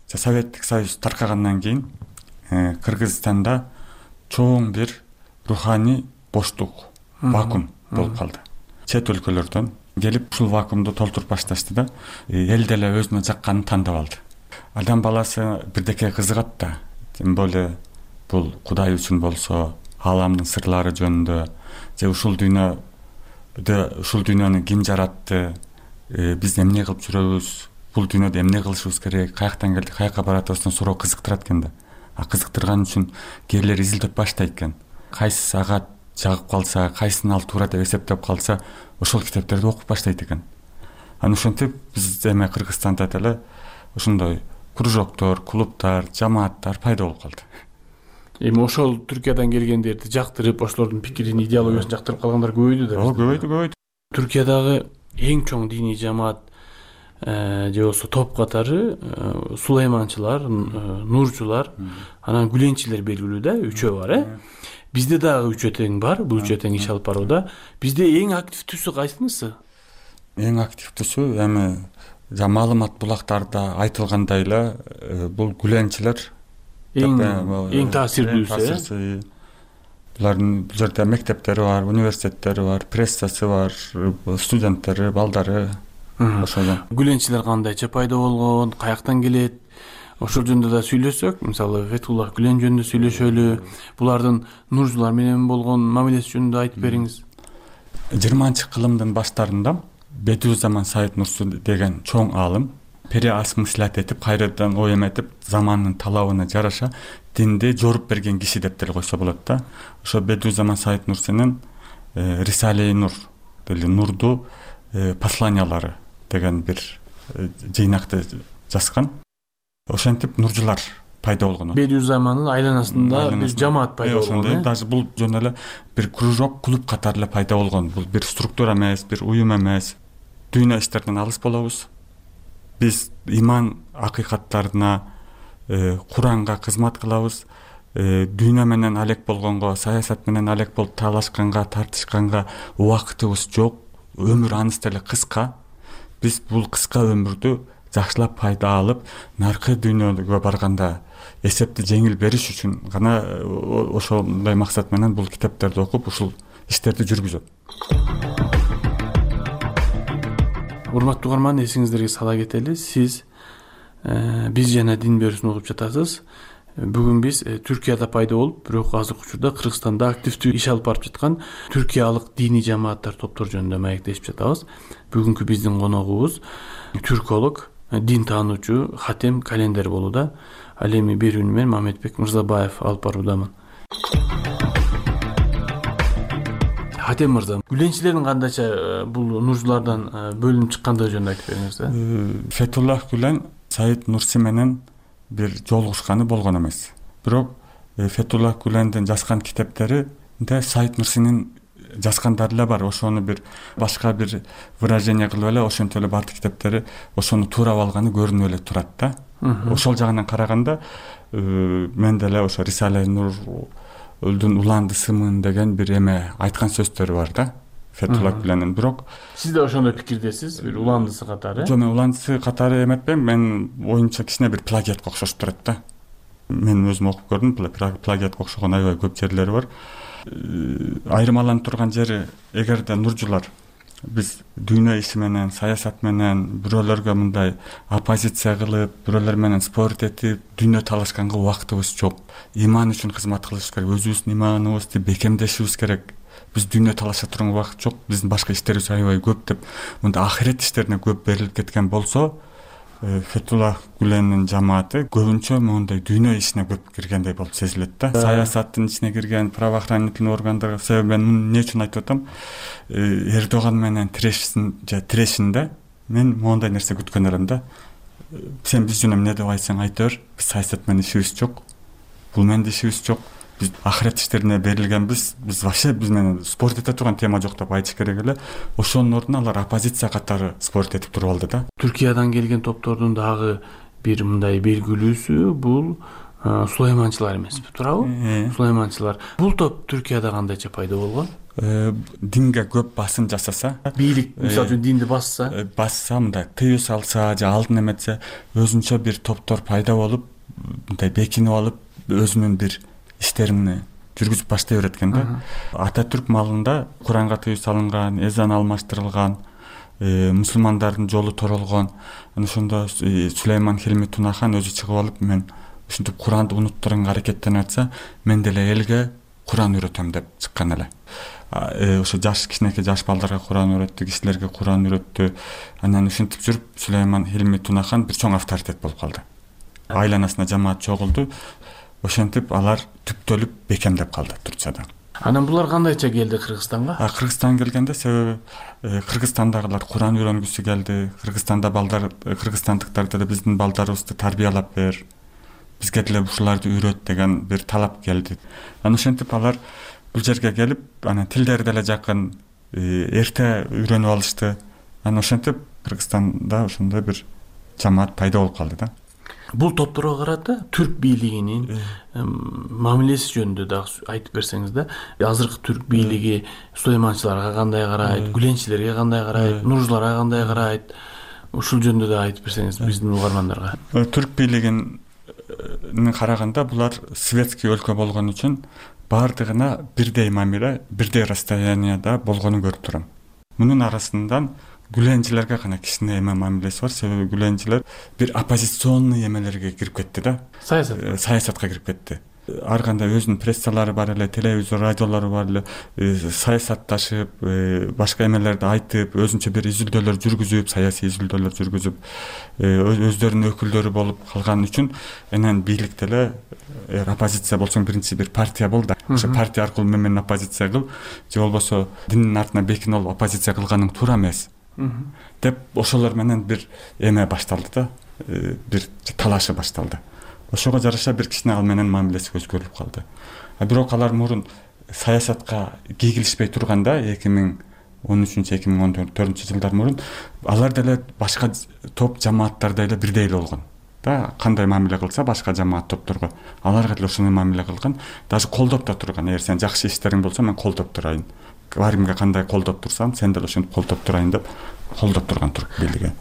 Советтик Союз таркагандан кийин Кыргызстанда чоң бир руханий боштук, вакуум болуп калды. Чет өлкөлөрдөн келип ушул вакуумду толтуруп башташты да, эл деле өзүнө жакканын тандап алды. Адам баласы бирдекеге кызыгат да, тем более бул Кудай үчүн болсо, ааламдын сырлары жөнүндө, же ушул дүйнөдө ушул дүйнөнү ким жаратты, биз эмне кылып жүрөбүз, бул дүйнөдө эмне кылышыбыз керек, каяктан келдик, каяка баратыбыздан суроо кызыктырат экен да. А кызыктырган үчүн кээрлер изилдеп баштайт экен. Кайсы ага жагып калса, кайсын ал туура деп эсептеп калса, ошол китептерди окуп баштайт экен. Анан ошентип биз эме Кыргызстанда деле ошондой кружоктор, клубтар, жамааттар пайда болуп калды. Эми ошол Түркиядан келгендерди жактырып, ошолордун пикирин, идеологиясын жактырып калгандар көбөйдү да. Ооба, көбөйдү, көбөйдү. Түркиядагы эң чоң диний жамаат же болбосо топ катары сулайманчылар, нурчулар, анан гүленчилер белгилүү да, үчөө бар, э? Бизде дагы үчөө тең бар, бул үчөө тең иш алып барууда. Бизде эң активдүүсү кайсынысы? Эң активдүүсү эми жа маалымат булактарда айтылгандай эле бул гүленчилер эң эң таасирдүүсү. Булардын бул жерде мектептери бар, университеттери бар, прессасы бар, студенттери, балдары. Ошол гүленчилер кандайча пайда болгон, каяктан келет? Ошол жөнүндө да сүйлөсөк, мисалы Фетуллах Гүлен жөнүндө сүйлөшөлү, булардын нуржулар менен болгон мамилеси жөнүндө айтып бериңиз. жыйырманчы кылымдын баштарында Бедиузаман Саид Нурси деген чоң аалым переосмыслять этип, кайрадан ой эметип, замандын талабына жараша динди жоруп берген киши деп деле койсо болот да. Ошо Бедиузаман Саид Нурсинин Рисале-и Нур, или Нурду посланиялары деген бир жыйнакты жазган. Ошентип нуржулар пайда болгон. Бедиузамандын айланасында бир жамаат пайда болгон. Даже бул жөн эле бир кружок, клуб катары эле пайда болгон. Бул бир структура эмес, бир уюм эмес. Дүйнө иштеринен алыс болобуз. Биз иман акыйкаттарына, Куранга кызмат кылабыз. Дүйнө менен алек болгонго, саясат менен алек болуп талашканга, тартышканга убактыбыз жок. Өмүр аныс деле кыска. Биз бул кыска өмүрдү жакшылап пайда алып, наркы дүйнөгө барганда эсепти жеңил бериш үчүн гана ошондой максат менен бул китептерди окуп, ушул иштерди жүргүзөт. Урматтуу угарман, эсиңиздерге сала кетели, сиз биз жана дин берүүсүн окуп жатасыз. Бүгүн биз Түркияда пайда болуп, бирок азыркы учурда Кыргызстанда активдүү иш алып барып жаткан түркиялык диний жамааттар, топтор жөнүндө маектешип жатабыз. Бүгүнкү биздин коногубуз түрколог, дин таануучу Хатем Календер болууда. Ал эми берүүнү мен Мамедбек Мырзабаев алып баруудамын. Хатем мырза, гүленчилердин кандайча бул нуржулардан бөлүнүп чыккандыгы жөнүндө айтып бериңиз. Фетуллах Гүлен Саид Нурси менен бир жолугушканы болгон эмес. Бирок Фетуллах Гүлендин жазган китептеринде Саид Нурсинин жазгандары эле бар. Ошону бир башка бир выражение кылып эле ошентип эле бардык китептери ошону туурап алганы көрүнүп эле турат да. Ошол жагынан караганда мен деле ошо Рисале Нур Өлдүн уланды сымын деген бир эме айткан сөздөрү бар да. Фетуллах Гүлендин. Бирок сиз да ошондой пикирдесиз, бир уландысы катары? Жок, мен уландысы катары эметпейм. Мен оюмча кичине бир плагиатка окшошуп турат да. Мен өзүм окуп көрдүм, плагиатка окшогон аябай көп жерлери бар. Айырмаланып турган жери, эгерде нуржулар биз дүйнө иши менен, саясат менен бирөөлөргө мындай оппозиция кылып, бирөөлөр менен спорт этип, дүйнө талашканга убактыбыз жок. Иман үчүн кызмат кылышыбыз керек, өзүбүздүн иманыбызды бекемдешибиз керек. Биз дүйнө талаша турган убакыт жок, биздин башка иштерибиз аябай көп деп, мында ахирет иштерине көп берилип кеткен болсо, Фетуллах Гүлендин жамааты көбүнчө мондай дүйнө ишине көп киргендей болуп сезилет да. Саясаттын ичине кирген, правоохранительный органдарга, себеби мен муну эмне үчүн айтып атам? Эрдоган менен тирешсин же тирешинде мен мондай нерсе күткөн элем да. Сен биз жөнүндө эмне деп айтсаң айта бер, биз саясат менен ишибиз жок. Бул менен ишибиз жок. Биз ахирет иштерине берилгенбиз, биз вообще биз менен спорт эте турган тема жок деп айтыш керек эле. Ошонун ордуна алар оппозиция катары спорт этип туруп алды да. Түркиядан келген топтордун дагы бир мындай белгилүүсү бул сулайманчылар эмеспи, туурабы? Сулайманчылар. Бул топ Түркияда кандайча пайда болгон? Динге көп басым жасаса, бийлик мисалы үчүн динди басса, басса, мындай тыюу салса же алдын эметсе, өзүнчө бир топтор пайда болуп, мындай бекинип алып, өзүнүн бир иштерин жүргүзүп баштай берет экен да. Ататүрк малында Куранга тыюу салынган, эзан алмаштырылган, мусулмандардын жолу торолгон. Ошондо Сулейман Хилми Тунахан өзү чыгып алып, мен ушинтип Куранды унуттурганга аракеттенип атса, мен деле элге Куран үйрөтөм деп чыккан эле. Ошо жаш кичинекей жаш балдарга Куран үйрөттү, кишилерге Куран үйрөттү. Анан ушинтип жүрүп Сулейман Хилми Тунахан бир чоң авторитет болуп калды. Айланасына жамаат чогулду. Ошентип алар түптөлүп бекемдеп калды Турцияда. Анан булар кандайча келди Кыргызстанга? А Кыргызстан келгенде себеби Кыргызстандагылар Куран үйрөнгүсү келди. Кыргызстанда балдар, кыргызстандыктар деле биздин балдарыбызды тарбиялап бер, бизге деле ушуларды үйрөт деген бир талап келди. Анан ошентип алар бул жерге келип, анан тилдери деле жакын, эрте үйрөнүп алышты. Анан ошентип Кыргызстанда ошондой бир жамаат пайда болуп калды да. Бул топторго карата түрк бийлигинин мамилеси жөнүндө дагы айтып берсеңиз да. Азыркы түрк бийлиги сулайманчыларга кандай карайт, гүленчилерге кандай карайт, нуржуларга кандай карайт? Ушул жөнүндө да айтып берсеңиз биздин угармандарга. Түрк бийлигин караганда булар светский өлкө болгон үчүн баардыгына бирдей мамиле, бирдей расстоянияда болгонун көрүп турам. Мунун арасынан гүленчилерге гана кичине эме мамилеси бар. Себеби гүленчилер бир оппозиционный эмелерге кирип кетти да. Саясат. Саясатка кирип кетти. Ар кандай өзүнүн прессалары бар эле, телевизор, радиолору бар эле, саясатташып, башка эмелерди айтып, өзүнчө бир изилдөөлөр жүргүзүп, саясий изилдөөлөр жүргүзүп, өздөрүнүн өкүлдөрү болуп калган үчүн анан бийлик деле оппозиция болсоң биринчи бир партия бол да. Ошо партия аркылуу мен оппозиция кыл, же болбосо диндин артына бекинип алып оппозиция кылганың туура эмес деп ошолор менен бир эме башталды да, бир талашы башталды. Ошого жараша бир кичине ал менен мамилеси өзгөрүп калды. А бирок алар мурун саясатка кийгилишпей турганда эки миң он үчүнчү эки миң он төртүнчү жылдар мурун алар деле башка топ жамааттарда эле бирдей эле болгон да. Кандай мамиле кылса башка жамаат топторго аларга деле ошондой мамиле кылган, даже колдоп да турган. Эгер сен жакшы иштериң болсо мен колдоп турайын, ар кимге кандай колдоп турсам сен деле ошентип колдоп турайын деп колдоп турган түрк бийлиги.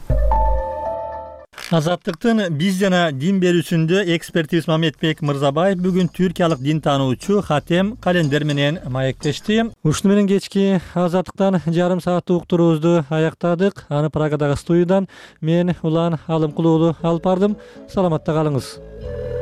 Азаттыктын биз жана дин берүүсүндө экспертибиз Мамедбек Мырзабаев бүгүн түркиялык дин таануучу Хатем Календер менен маектешти. Ушуну менен кечки Азаттыктан жарым сааттык уктуруубузду аяктадык. Аны Прагадагы студиядан мен Улан Алымкулуулу алып бардым. Саламатта калыңыз.